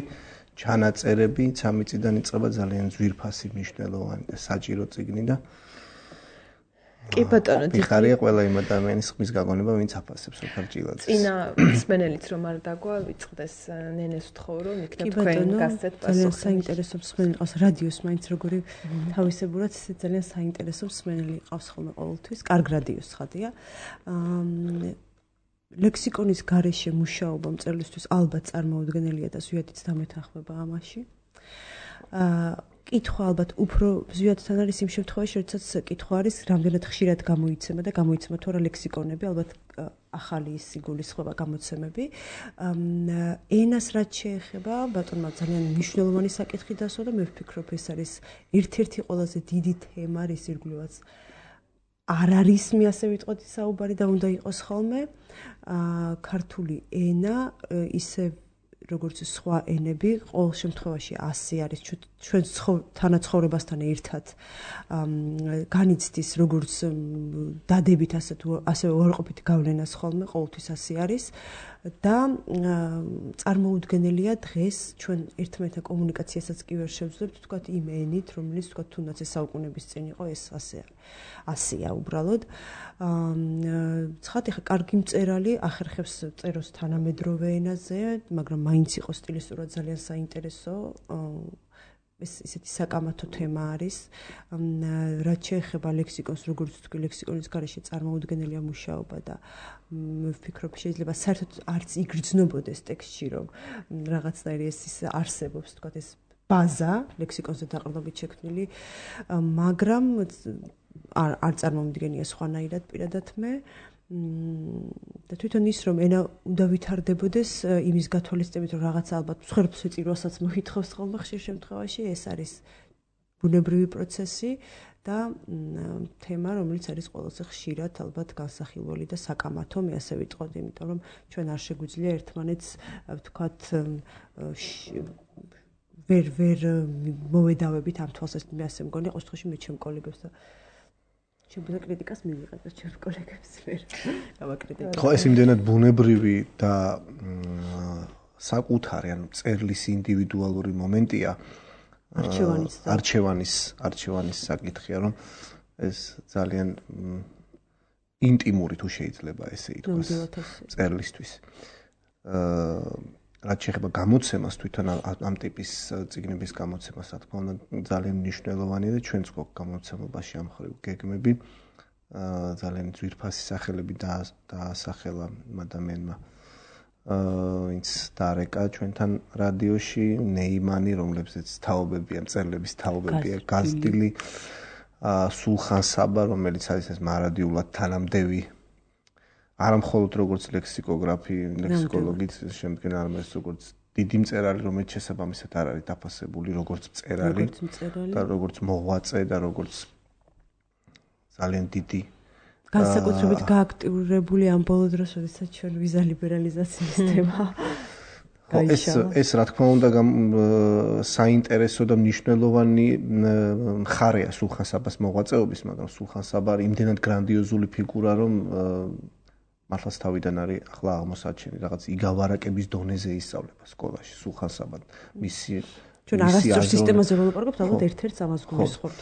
ჩანაწერები, სამი წიდან იწყება ძალიან ძვირფასი, მნიშვნელოვანი და საჭირო წიგნი და კი ბატონო, დიხარია ყველა იმ ადამიანის ხმის გაგონება, ვინც აფასებს ოთარ ჭილაძეს. წინა მსმენელიც რომ არ დაგვა, ვიწყდეს ნენეს ვთხოვრო, იქნებ თქვენ გასცეთ პასუხი. ძალიან საინტერესო მსმენელი ყავს რადიოს მაინც როგორი თავისებურად ისე ძალიან საინტერესო მსმენელი ყავს ხოლმე ყოველთვის. კარგ რადიოს ხადია. აა ლექსიკონის გარეშე მუშაობა მწერლისთვის ალბათ წარმოუდგენელია და ზვიადიც დამეთანხმება ამაში. აა კითხვა ალბათ უფრო ზვიადთან არის იმ შემთხვევაში, როდესაც კითხვა არის რამდენად ხშირად გამოიცემა და გამოიცემა თუ არა ლექსიკონები, ალბათ ახალი ის იგულისხმება გამოცემები. ენას რაც შეეხება, ბატონმა ძალიან მნიშვნელოვანი საკითხი დასვა და მე ვფიქრობ, ეს არის ერთ-ერთი ყველაზე დიდი თემა, რის ირგვლივაც არ არის მე ასე ვიტყოდი საუბარი და უნდა იყოს ხოლმე. ქართული ენა ისე როგორც სხვა ენები, ყოველ შემთხვევაში ასი არის ჩვენ თანაცხოვრებასთან ერთად განიცდის როგორც დადებით ასე თუ ასევე უარყოფითი გავლენას ხოლმე, ყოველთვის ასი არის და წარმოუდგენელია დღეს ჩვენ ერთმანეთთან კომუნიკაციასაც კი ვერ შევძლებთ, თქვათ იმ ენით, რომელიც თქვათ თუნდაც ეს საუკუნეების წინ იყო, ეს ასე ასია უბრალოდ. ცხადია, კარგი მწერალი ახერხებს წეროს თანამედროვე ენაზე, მაგრამ მაინც იყო სტილისტურად ძალიან საინტერესო. ეს ისეთი საკამათო თემა არის. რაც შეეხება ლექსიკონს, როგორც თქვი, ლექსიკონის გარეშე წარმოუდგენელია მუშაობა და მე ვფიქრობ, შეიძლება საერთოდ არც იგრძნობოდეს ტექსტში, რომ რაღაცნაირი ეს ის არსებობს, თქვათ ეს ბაზა ლექსიკონზე დაყრდნობით შექმნილი, მაგრამ არ არ წარმომიდგენია სხვანაირად პირადად მე. და თვითონ ის რომ ენა უნდა ვითარდებოდეს იმის გათვალისწინებით რომ რაღაცა ალბათ მსხვერპლ სიტყვასაც მოითხოვს ხოლმე ხშირ შემთხვევაში ეს არის ბუნებრივი პროცესი და თემა რომელიც არის ყველაზე ხშირად ალბათ განსახილველი და საკამათო მე ასე ვიტყოდი იმიტომ რომ ჩვენ არ შეგვიძლია ერთმანეთს ვთქვათ ვერ ვერ მოვედავებით ამ თვალსაზრისით მე ასე მგონი ყოველ შემთხვევაში მე ჩემ კოლეგებს და შეიძლება კრიტიკას მივიღებდეს ჩემს კოლეგებს ვერ გავაკრიტიკებ. ხო, ეს იმდენად ბუნებრივი და საკუთარი, ანუ წერლის ინდივიდუალური მომენტია. არჩევანის არჩევანის არჩევანის საკითხია, რომ ეს ძალიან ინტიმური თუ შეიძლება ესე ითქვას წერლისთვის. აა რაც შეეხება გამოცემას თვითონ ამ ტიპის წიგნების გამოცემას, რა თქმა უნდა, ძალიან მნიშვნელოვანია და ჩვენც გვაქვს გამოცემობაში ამ ხრივ გეგმები. აა ძალიან ძვირფასი სახელები დაასახელა ადამიანმა. აა ვინც დარეკა ჩვენთან რადიოში, ნეიმანი, რომლებზეც თაობებია, მწერლების თაობებია, გაზდილი, აა სულხან საბა, რომელიც არის ეს მარადიულად თანამდევი არა მხოლოდ როგორც ლექსიკოგრაფი, ლექსიკოლოგიც შემდგენ არამედ როგორც დიდი მწერალი, რომელიც შესაბამისად არ არის დაფასებული როგორც მწერალი და როგორც მოღვაწე და როგორც ძალიან დიდი განსაკუთრებით გააქტიურებული ამ ბოლო დროს, როდესაც ჩვენ ვიზა ლიბერალიზაციის თემა ეს ეს რა თქმა უნდა საინტერესო და მნიშვნელოვანი მხარეა სულხან საბას მოღვაწეობის, მაგრამ სულხან საბა იმდენად გრანდიოზული ფიგურა, რომ მართლაც თავიდან არის ახლა აღმოსაჩენი რაღაც იგავარაკების დონეზე ისწავლება სკოლაში სულხან საბა მისი ჩვენ არასწორ სისტემაზე ველაპარაკობთ, ალბათ ერთ-ერთს ამას გულისხმობთ.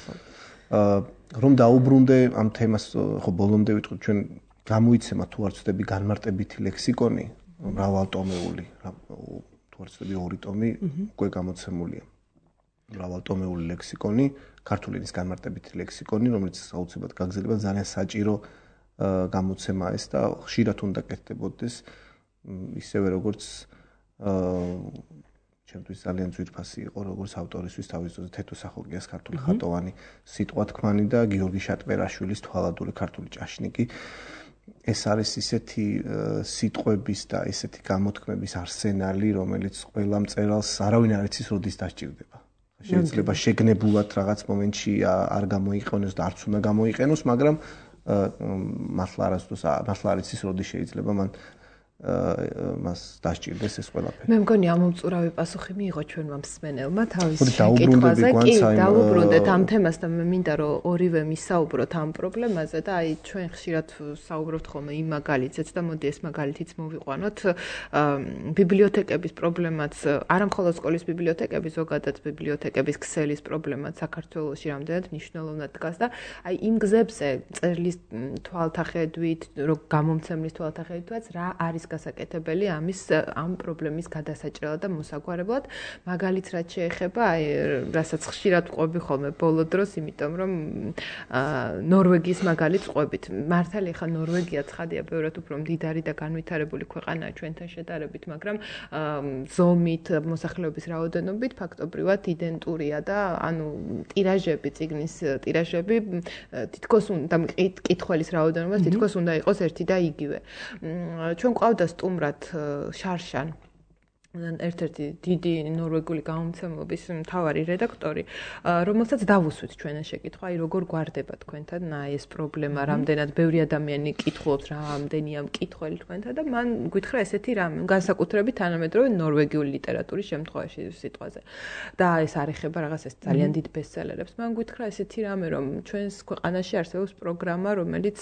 აა რომ დაუბრუნდე ამ თემას, ხო ბოლომდე ვიტყვი, ჩვენ გამოიცემა თუ არ ვცდები განმარტებითი ლექსიკონი, მრავალტომეული, თუ არ ვცდები ორი ტომი უკვე გამოცემულია. მრავალტომეული ლექსიკონი, ქართული ენის განმარტებითი ლექსიკონი, რომელიც აუცილებლად გაგზელება ძალიან საჭირო გამოცემა ეს და ხშირად უნდა კეთდებოდეს ისევე როგორც ჩემთვის ძალიან ძვირფასი იყო როგორც ავტორისთვის თავის ძოზე თეთო სახურგიას ქართული ხატოვანი სიტყვა თქმანი და გიორგი შატბერაშვილის თვალადური ქართული ჭაშნიკი ეს არის ისეთი სიტყვების და ესეთი გამოთქმების არსენალი რომელიც ყველა მწერალს არავინ არ იცის როდის დასჭირდება შეიძლება შეგნებულად რაღაც მომენტში არ გამოიყენოს და არც უნდა გამოიყენოს მაგრამ მართლა არასდროს მართლა არ იცის როდის შეიძლება მან მას დასჭირდეს ეს ყველაფერი. მე მგონი ამომწურავი პასუხი მიიღო ჩვენმა მსმენელმა თავის შეკითხვაზე. კი, დაუბრუნდეთ ამ თემას და მე მინდა რომ ორივე მისაუბროთ ამ პრობლემაზე და აი ჩვენ ხშირად საუბრობთ ხოლმე იმ მაგალითზეც და მოდი ეს მაგალითიც მოვიყვანოთ. ბიბლიოთეკების პრობლემაც, არა მხოლოდ სკოლის ბიბლიოთეკების, ზოგადად ბიბლიოთეკების ქსელის პრობლემაც საქართველოში რამდენად მნიშვნელოვნად დგას და აი იმ გზებზე წერლის თვალთახედვით, რომ გამომცემლის თვალთახედვითაც რა არის გასაკეთებელი ამის ამ პრობლემის გადასაჭრელად და მოსაგვარებლად, მაგალითს რაც შეეხება, აი რასაც ხშირად ვყვები ხოლმე ბოლო დროს, იმიტომ რომ ნორვეგიის მაგალითს ვყვებით. მართალია ხა ნორვეგია ცხადია ბევრად უფრო მდიდარი და განვითარებული ქვეყანაა ჩვენთან შედარებით, მაგრამ ზომით, მოსახლეობის რაოდენობით ფაქტობრივად იდენტურია და ანუ ტირაჟები, წიგნის ტირაჟები თითქოს უნდა მკითხველის რაოდენობას თითქოს უნდა იყოს ერთი და იგივე. ჩვენ ყავდა სტუმრად შარშან ერთ-ერთი დიდი ნორვეგული გამომცემლობის მთავარი რედაქტორი, რომელსაც დავუსვით ჩვენ ეს შეკითხვა, აი როგორ გვარდება თქვენთან ეს პრობლემა, რამდენად ბევრი ადამიანი კითხულობს, რამდენია მკითხველი თქვენთან და მან გითხრა ესეთი რამე, განსაკუთრებით თანამედროვე ნორვეგიული ლიტერატურის შემთხვევაში სიტყვაზე. და ეს არ ეხება რაღაც ეს ძალიან დიდ ბესტსელერებს. მან გითხრა ესეთი რამე, რომ ჩვენს ქვეყანაში არსებობს პროგრამა, რომელიც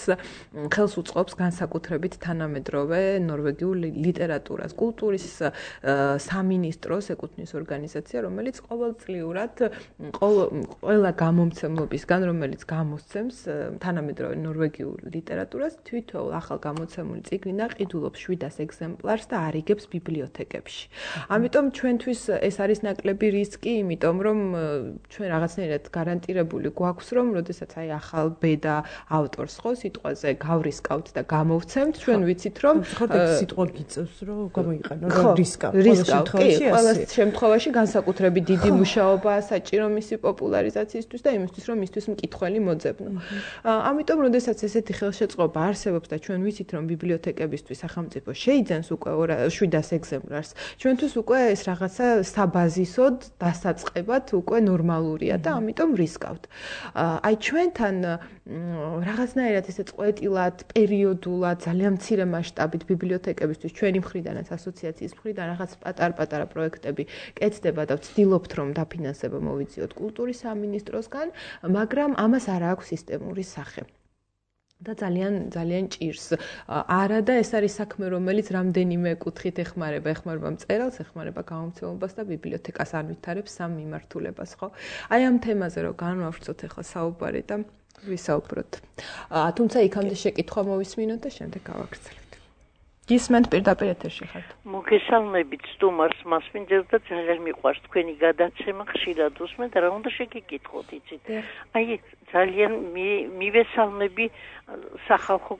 ხელს უწყობს განსაკუთრებით თანამედროვე ნორვეგიულ ლიტერატურას, კულტურის სამინისტროს ეკუთვნის ორგანიზაცია, რომელიც ყოველწლიურად ყველა გამომცემლობისგან, რომელიც გამოსცემს თანამედროვე ნორვეგიულ ლიტერატურას, თვითონ ახალ გამოცემული წიგნი ყიდულობს შვიდას ეგზემპლარს და არიგებს ბიბლიოთეკებში. ამიტომ ჩვენთვის ეს არის ნაკლები რისკი, იმიტომ რომ ჩვენ რაღაცნაირად გარანტირებული გვაქვს, რომ როდესაც აი ახალ ბედა ავტორს ხო სიტყვაზე გავრისკავთ და გამოვცემთ, ჩვენ ვიცით რომ სიტყვა გიწევს, რომ გამოიყენო რომ რისკავ. კი, ყველა შემთხვევაში განსაკუთრებით დიდი მუშაობაა საჭირო მისი პოპულარიზაციისთვის და იმისთვის, რომ მისთვის მკითხველი მოძებნო. ამიტომ, როდესაც ესეთი ხელშეწყობა არსებობს და ჩვენ ვიცით, რომ ბიბლიოთეკებისთვის სახელმწიფო შეიძენს უკვე შვიდას ეგზემპლარს, ჩვენთვის უკვე ეს რაღაცა საბაზისოდ დასაწყებად უკვე ნორმალურია და ამიტომ რისკავთ. აი ჩვენთან რაღაცნაირად ესე წყვეტილად, პერიოდულად, ძალიან მცირე მასშტაბით ბიბლიოთეკებისთვის ჩვენი მხრიდანაც ასოციაციის მხრიდან რაღაც პატარ-პატარა პროექტები კეთდება და ვცდილობთ რომ დაფინანსება მოვიძიოთ კულტურის სამინისტროსგან, მაგრამ ამას არ აქვს სისტემური სახე. და ძალიან ძალიან ჭირს. არა და ეს არის საქმე, რომელიც რამდენიმე კუთხით ეხმარება, ეხმარება მწერალს, ეხმარება გამომცემლობას და ბიბლიოთეკას არ ვითარებს სამ მიმართულებას, ხო? აი ამ თემაზე რომ განვავრცოთ ახლა საუბარი და ვისაუბროთ. თუმცა იქამდე შეკითხვა მოვისმინოთ და შემდეგ გავაგრძელებთ. გისმენთ პირდაპირ ეთერში ხართ. მოგესალმებით სტუმარს, მასპინძელს და ძალიან მიყვარს თქვენი გადაცემა, ხშირად უსმენ და რა უნდა შეგეკითხოთ, იცით? აი ძალიან მივესალმები სახალხო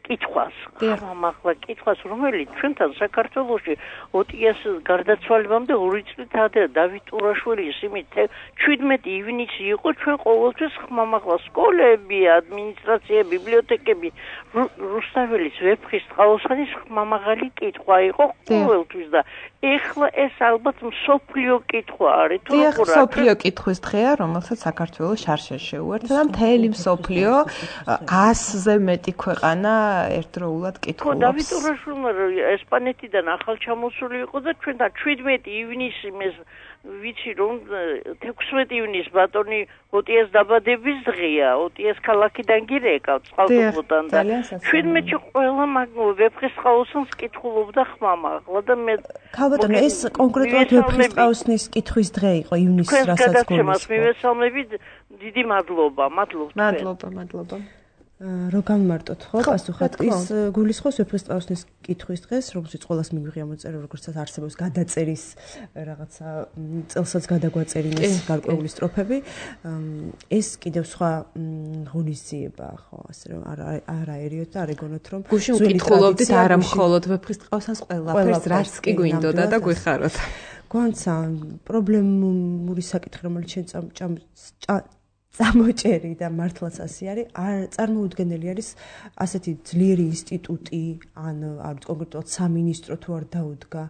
კითხვას, ხმამაღლა კითხვას, რომელიც ჩვენთან საქართველოში ოტიას გარდაცვალებამდე ორი წლით ადრე დავით ურაშვილის იმით შვიდმეტი ივნისი იყო ჩვენ ყოველთვის ხმამაღლა სკოლები, ადმინისტრაცია, ბიბლიოთეკები, რუსთაველის ვეფხის ტყაოსანის ხმამაღალი კითხვა იყო ყოველთვის და ეხლა ეს ალბათ მსოფლიო კითხვა არის თუ როგორ არის? მსოფლიო კითხვის დღეა, რომელსაც საქართველოს შარშან შეუერთდა და მთელი მსოფლიო ასზე მეტი ქვეყანა ერთდროულად კითხულობს. ხო, დავით ურაშვილმა ესპანეთიდან ახალ ჩამოსული იყო და ჩვენთან შვიდმეტი ივნისი მეს ვიცი რომ თექვსმეტი ივნისს ბატონი ოტიას დაბადების დღეა, ოტიას ქალაქიდან გირეკავ წყალტუბოდან და შვიდმეტში ყველა ვეფხის ტყაოსანს კითხულობდა ხმამაღლა და მე ქალბატონო ეს კონკრეტულად ვეფხის ტყაოსნის კითხვის დღე იყო ივნისს, რასაც გულისხმობთ. მივესალმებით, დიდი მადლობა, მადლობთ. მადლობა, მადლობა. რო გამმარტოთ ხო პასუხად ის გულისხმობს ვეფხის ტყაოსნის კითხვის დღეს, რომელშიც ყველას მიგვიღია მოწერა, როგორცაც არსებობს გადაწერის რაღაცა წელსაც გადაგვაწერინეს გარკვეული სტროფები. ეს კიდევ სხვა ღონისძიება ხო, ასე რომ არა ერიოთ და არ ეგონოთ რომ გუშინ ვკითხულობდით არა მხოლოდ ვეფხის ტყაოსანს ყველაფერს, რაც კი გვინდოდა და გვიხაროთ. გვანცა პრობლემური საკითხი, რომელიც შენ წამოჭერი და მართლაც ასე არის, არ წარმოუდგენელი არის ასეთი ძლიერი ინსტიტუტი, ან არ ვიცი კონკრეტულად სამინისტრო თუ არ დაუდგა,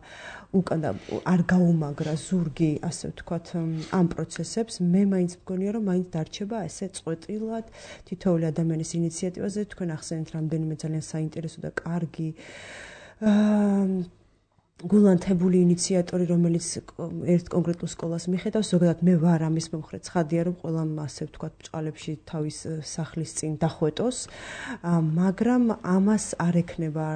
უკან არ გაუმაგრა ზურგი, ასე ვთქვათ, ამ პროცესებს, მე მაინც მგონია, რომ მაინც დარჩება ესე წყვეტილად თითოეული ადამიანის ინიციატივაზე, თქვენ ახსენეთ რამდენიმე ძალიან საინტერესო და კარგი გულანთებული ინიციატორი, რომელიც ერთ კონკრეტულ სკოლას მიხედავს, ზოგადად მე ვარ ამის მომხრე, ცხადია, რომ ყველამ ასე ვთქვათ, ბჭყალებში თავის სახლის წინ დახვეტოს, მაგრამ ამას არ ექნება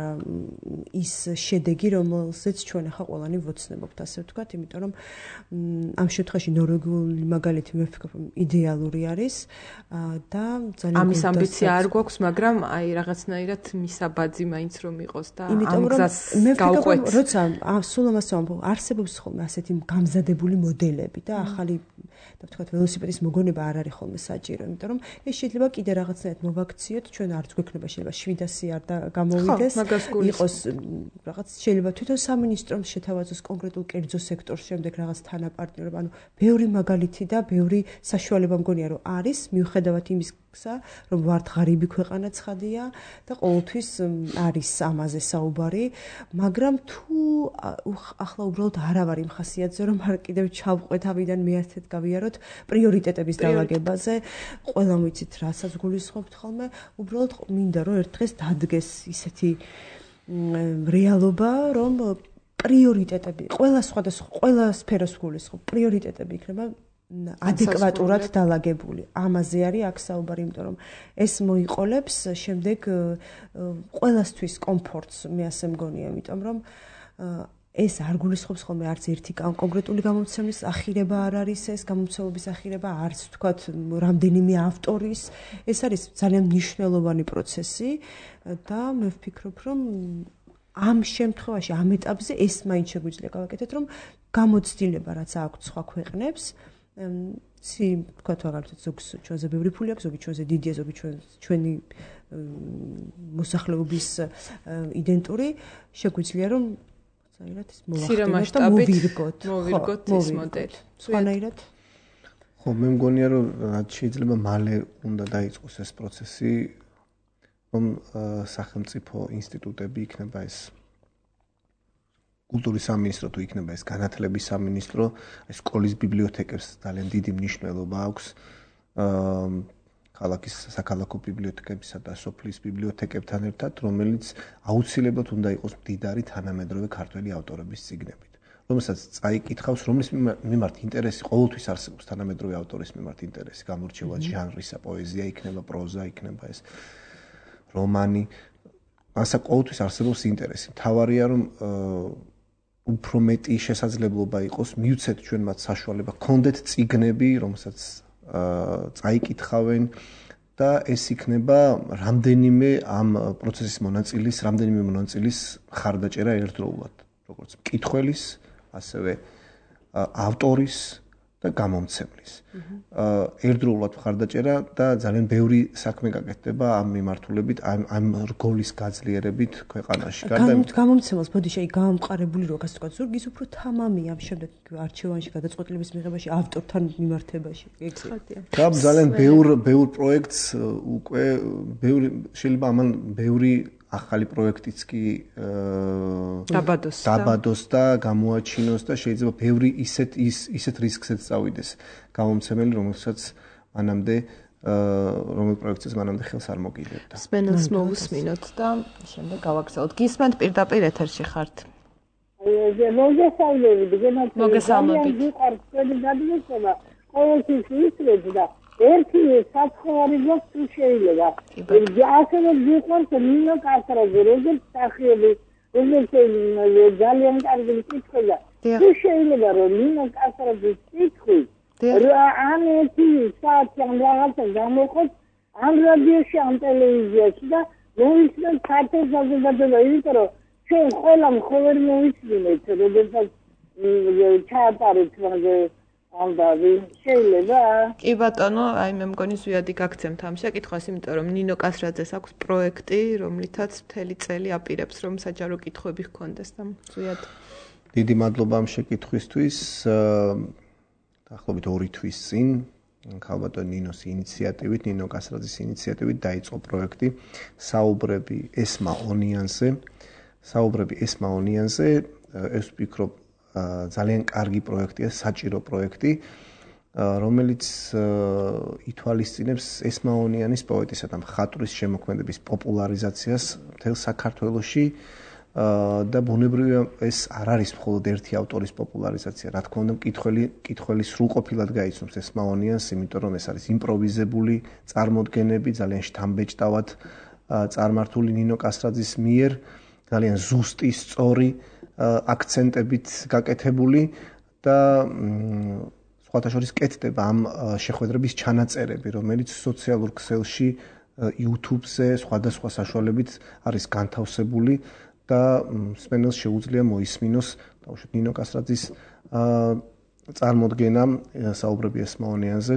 ის შედეგი, რომელზეც ჩვენ ახლა ყველანი ვოცნებობთ, ასე ვთქვათ, იმიტომ რომ ამ შემთხვევაში ნორვეგიული მაგალითი მე ვფიქრობ, იდეალური არის და ძალიან ამის ამბიცია არ გვაქვს, მაგრამ აი რაღაცნაირად მისაბაძი მაინც რომ იყოს და ამ გზას გავყვეთ. როცა სულ ამას ვამბობ, არსებობს ხოლმე ასეთი გამზადებული მოდელები და ახალი და ვთქვათ ველოსიპედის მოგონება არ არის ხოლმე საჭირო, იმიტომ რომ ეს შეიძლება კიდე რაღაცნაირად მოვაქციოთ, ჩვენ არც გვექნება შეიძლება შვიდასი არ და გამოვიდეს, იყოს რაღაც შეიძლება თვითონ სამინისტრომ შეთავაზოს კონკრეტულ კერძო სექტორს შემდეგ რაღაც თანაპარტნიორობა, ანუ ბევრი მაგალითი და ბევრი საშუალება მგონია რომ არის, მიუხედავად იმის რომ ვართ ღარიბი ქვეყანა ცხადია და ყოველთვის არის ამაზე საუბარი, მაგრამ თუ ახლა უბრალოდ არავარ იმ ხასიათზე, რომ არ კიდევ ჩავყვეთ ავიდან მეათეთ გავიაროთ პრიორიტეტების დაალაგებაზე, ყველამ ვიცით რასაც გულისხმობთ ხოლმე, უბრალოდ მინდა რომ ერთ დღეს დადგეს ისეთი რეალობა, რომ პრიორიტეტები, ყველა სხვადასხვა, ყველა სფეროს გულისხმობ, პრიორიტეტები იქნება ადეკვატურად დაალაგებული. ამაზე არის აქ საუბარი, იმიტომ რომ ეს მოიყოლებს შემდეგ ყველასთვის კომფორტს, მე ასე მგონია, იმიტომ რომ ეს არ გულისხმობს ხოლმე არც ერთი კონკრეტული გამომცემლის ახირება არ არის ეს გამომცემლობის ახირება, არც თქვათ რამდენიმე ავტორის, ეს არის ძალიან მნიშვნელოვანი პროცესი და მე ვფიქრობ, რომ ამ შემთხვევაში, ამ ეტაპზე ეს მაინც შეგვიძლია გავაკეთოთ, რომ გამოცდილება რაც აქვს სხვა ქვეყნებს ცი თქვათ მაგალითად ზოგს ჩვენზე ბევრი ფული აქვს, ზოგი ჩვენზე დიდია, ზოგი ჩვენი მოსახლეობის იდენტური, შეგვიძლია რომ საერთოდ ეს მოვახდინოთ და მოვირგოთ, მოვირგოთ ეს მოდელი. სხვანაირად? ხო, მე მგონია რომ შეიძლება მალე უნდა დაიწყოს ეს პროცესი, რომ სახელმწიფო ინსტიტუტები იქნება ეს კულტურის სამინისტრო თუ იქნება ეს განათლების სამინისტრო, ეს სკოლის ბიბლიოთეკებს ძალიან დიდი მნიშვნელობა აქვს. ქალაქის საქალაქო ბიბლიოთეკებსა და სოფლის ბიბლიოთეკებთან ერთად, რომელიც აუცილებლად უნდა იყოს მდიდარი თანამედროვე ქართველი ავტორების წიგნებით, რომელსაც წაიკითხავს, რომლის მიმართ ინტერესი ყოველთვის არსებობს თანამედროვე ავტორის მიმართ ინტერესი, გამორჩევა ჟანრისა, პოეზია იქნება, პროზა იქნება ეს რომანი, მასა ყოველთვის არსებობს ინტერესი. მთავარია რომ უფრო მეტი შესაძლებლობა იყოს, მივცეთ ჩვენ მათ საშუალება, გქონდეთ წიგნები, რომელსაც წაიკითხავენ და ეს იქნება რამდენიმე ამ პროცესის მონაწილის, რამდენიმე მონაწილის ხარდაჭერა ერთდროულად, როგორც მკითხველის, ასევე ავტორის და გამომცემლის. ერთდროულად ხარდაჭერა და ძალიან ბევრი საქმე გაკეთდება ამ მიმართულებით, ამ ამ რგოლის გაძლიერებით ქვეყანაში. გამომცემელს ბოდი შეი გამომყარებული რო ასე ვთქვათ, ზურგის უფრო თამამია ამ შემდეგ არჩევანში გადაწყვეტილების მიღებაში ავტორთან მიმართებაში. ცხადია. და ძალიან ბევრ ბევრ პროექტს უკვე ბევრი შეიძლება ამან ბევრი ახალი პროექტიც კი დაბადოს დაბადოს და გამოაჩინოს და შეიძლება ბევრი ისეთ ის ისეთ რისკსაც წავიდეს გამომცემელი, რომელსაც მანამდე რომელ პროექტს მანამდე ხელს არ მოგიდებდა. სპენელს მოусმინოთ და შემდეგ გავაგზავნოთ. გისმენთ პირდაპირ ეთერში ხართ. მოგესალმებით, გენათ. მოგესალმებით. ყოველთვის ისრებს და ერთი საცხოვარი გვაქვს თუ შეიძლება. ასევე გიყვარს ნინო კასტრაძე, როგორც სახელი, როგორც ძალიან კარგი მკითხველია. თუ შეიძლება რომ ნინო კასტრაძის კითხვი ან ერთი საათი ან რაღაცა გამოხოთ ამ რადიოში, ამ ტელევიზიაში და მოისმენთ ქართულ საზოგადოებას, იმიტომ რომ ჩვენ ყველამ ხო ვერ მოვისმინეთ, როდესაც ჩაატარეთ მაგე ამდავი შეიძლება. კი ბატონო, აი მე მგონი ზვიადი გაგცემთ ამ შეკითხვას, იმიტომ რომ ნინო კასრაძეს აქვს პროექტი, რომლითაც მთელი წელი აპირებს, რომ საჯარო კითხვები ჰქონდეს და ზვიად. დიდი მადლობა ამ შეკითხვისთვის. დაახლოებით ორი თვის წინ ქალბატონ ნინოს ინიციატივით, ნინო კასრაძის ინიციატივით დაიწყო პროექტი საუბრები ესმა ონიანზე. საუბრები ესმა ონიანზე, ეს ვფიქრობ ძალიან კარგი პროექტია, საჭირო პროექტი, რომელიც ითვალისწინებს ესმაონიანის პოეტისა და მხატვრის შემოქმედების პოპულარიზაციას მთელ საქართველოში და ბუნებრივია ეს არ არის მხოლოდ ერთი ავტორის პოპულარიზაცია. რა თქმა უნდა, მკითხველი მკითხველი სრულყოფილად გაიცნობს ეს მაონიანს, იმიტომ რომ ეს არის იმპროვიზებული წარმოდგენები, ძალიან შთამბეჭდავად წარმართული ნინო კასრაძის მიერ, ძალიან ზუსტი, სწორი აქცენტებით გაკეთებული და სხვათა შორის კეთდება ამ შეხვედრების ჩანაწერები, რომელიც სოციალურ ქსელში YouTube-ზე სხვადასხვა საშუალებით არის განთავსებული და მსმენელს შეუძლია მოისმინოს თავშეთ ნინო კასრაძის წარმოდგენა საუბრები ეს მაონიანზე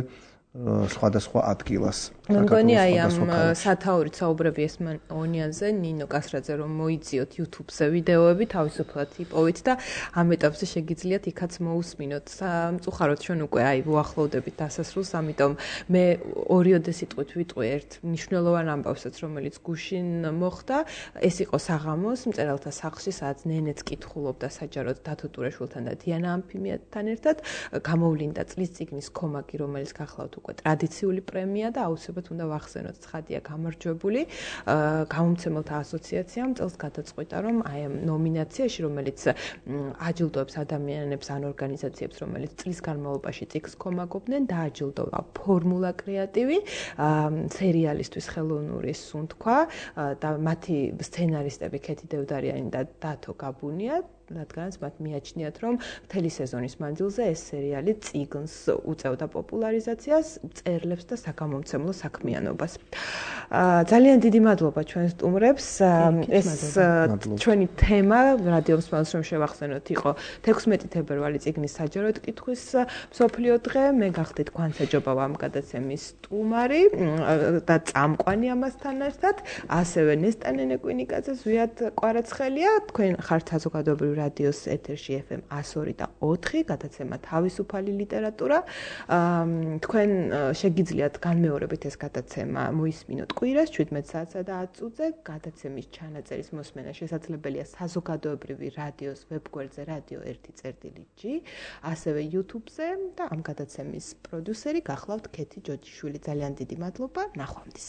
სხვადასხვა ადგილას. მგონი აი ამ სათაურით საუბრები ეს მაონიანზე ნინო კასრაძე რომ მოიძიოთ YouTube-ზე ვიდეოები თავისუფლად იპოვით და ამ ეტაპზე შეგიძლიათ იქაც მოусმინოთ. სამწუხაროდ ჩვენ უკვე აი უახლოვდებით დასასრულს, ამიტომ მე ორიოდე სიტყვით ვიტყვი ერთ მნიშვნელოვან ამბავსაც, რომელიც გუშინ მოხდა. ეს იყო საღამოს მწერალთა სახლში, სადაც ნენეც კითხულობდა საჯაროდ დათო ტურაშვილთან და დიანა ამფიმიათან ერთად. გამოვლინდა წლის წიგნის ქომაგი, რომელიც გახლავთ უკვე ტრადიციული პრემია და აუცილებლად უნდა ვახსენოთ ცხადია გამარჯვებული. გამომცემელთა ასოციაციამ წელს გადაწყვიტა, რომ აი ამ ნომინაციაში, რომელიც აჯილდოებს ადამიანებს ან ორგანიზაციებს, რომელიც წლის განმავლობაში წიგნს ქომაგობდნენ, დააჯილდოვა ფორმულა კრეატივი, სერიალისტვის ხელოვნური სუნთქვა და მათი სცენარისტები ქეთი დევდარიანი და დათო გაბუნია. რადგანაც მათ მიაჩნიათ, რომ მთელი სეზონის მანძილზე ეს სერიალი წიგნს უწევდა პოპულარიზაციას, წერლებს და საგამომცემლო საქმიანობას. ძალიან დიდი მადლობა ჩვენ სტუმრებს. ეს ჩვენი თემა რადიო მსმენელს რომ შევახსენოთ იყო თექვსმეტი თებერვალი წიგნის საჯაროდ კითხვის მსოფლიო დღე. მე გახდით 관საჯობავ ამ გადაცემის სტუმარი და წამყვანი ამასთან ერთად, ასევე ნესტანე კვინიკაძე, ზვიად კვარაცხელია. თქვენ ხართ საზოგადოებრივი რადიოს ეთერში ეფ ემ εκατო ორი და ოთხი, გადაცემა თავისუფალი ლიტერატურა. თქვენ შეგიძლიათ განმეორებით ეს გადაცემა მოისმინოთ კვირას შვიდმეტ საათსა და ათ წუთზე. გადაცემის ჩანაწერის მოსმენა შესაძლებელია საზოგადოებრივი რადიოს ვებგვერდზე რადიო ერთი წერტილი ჯი, ასევე YouTube-ზე და ამ გადაცემის პროდიუსერი გახლავთ ქეთი ჯოჯიშვილი. ძალიან დიდი მადლობა, ნახვამდის.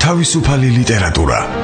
თავისუფალი ლიტერატურა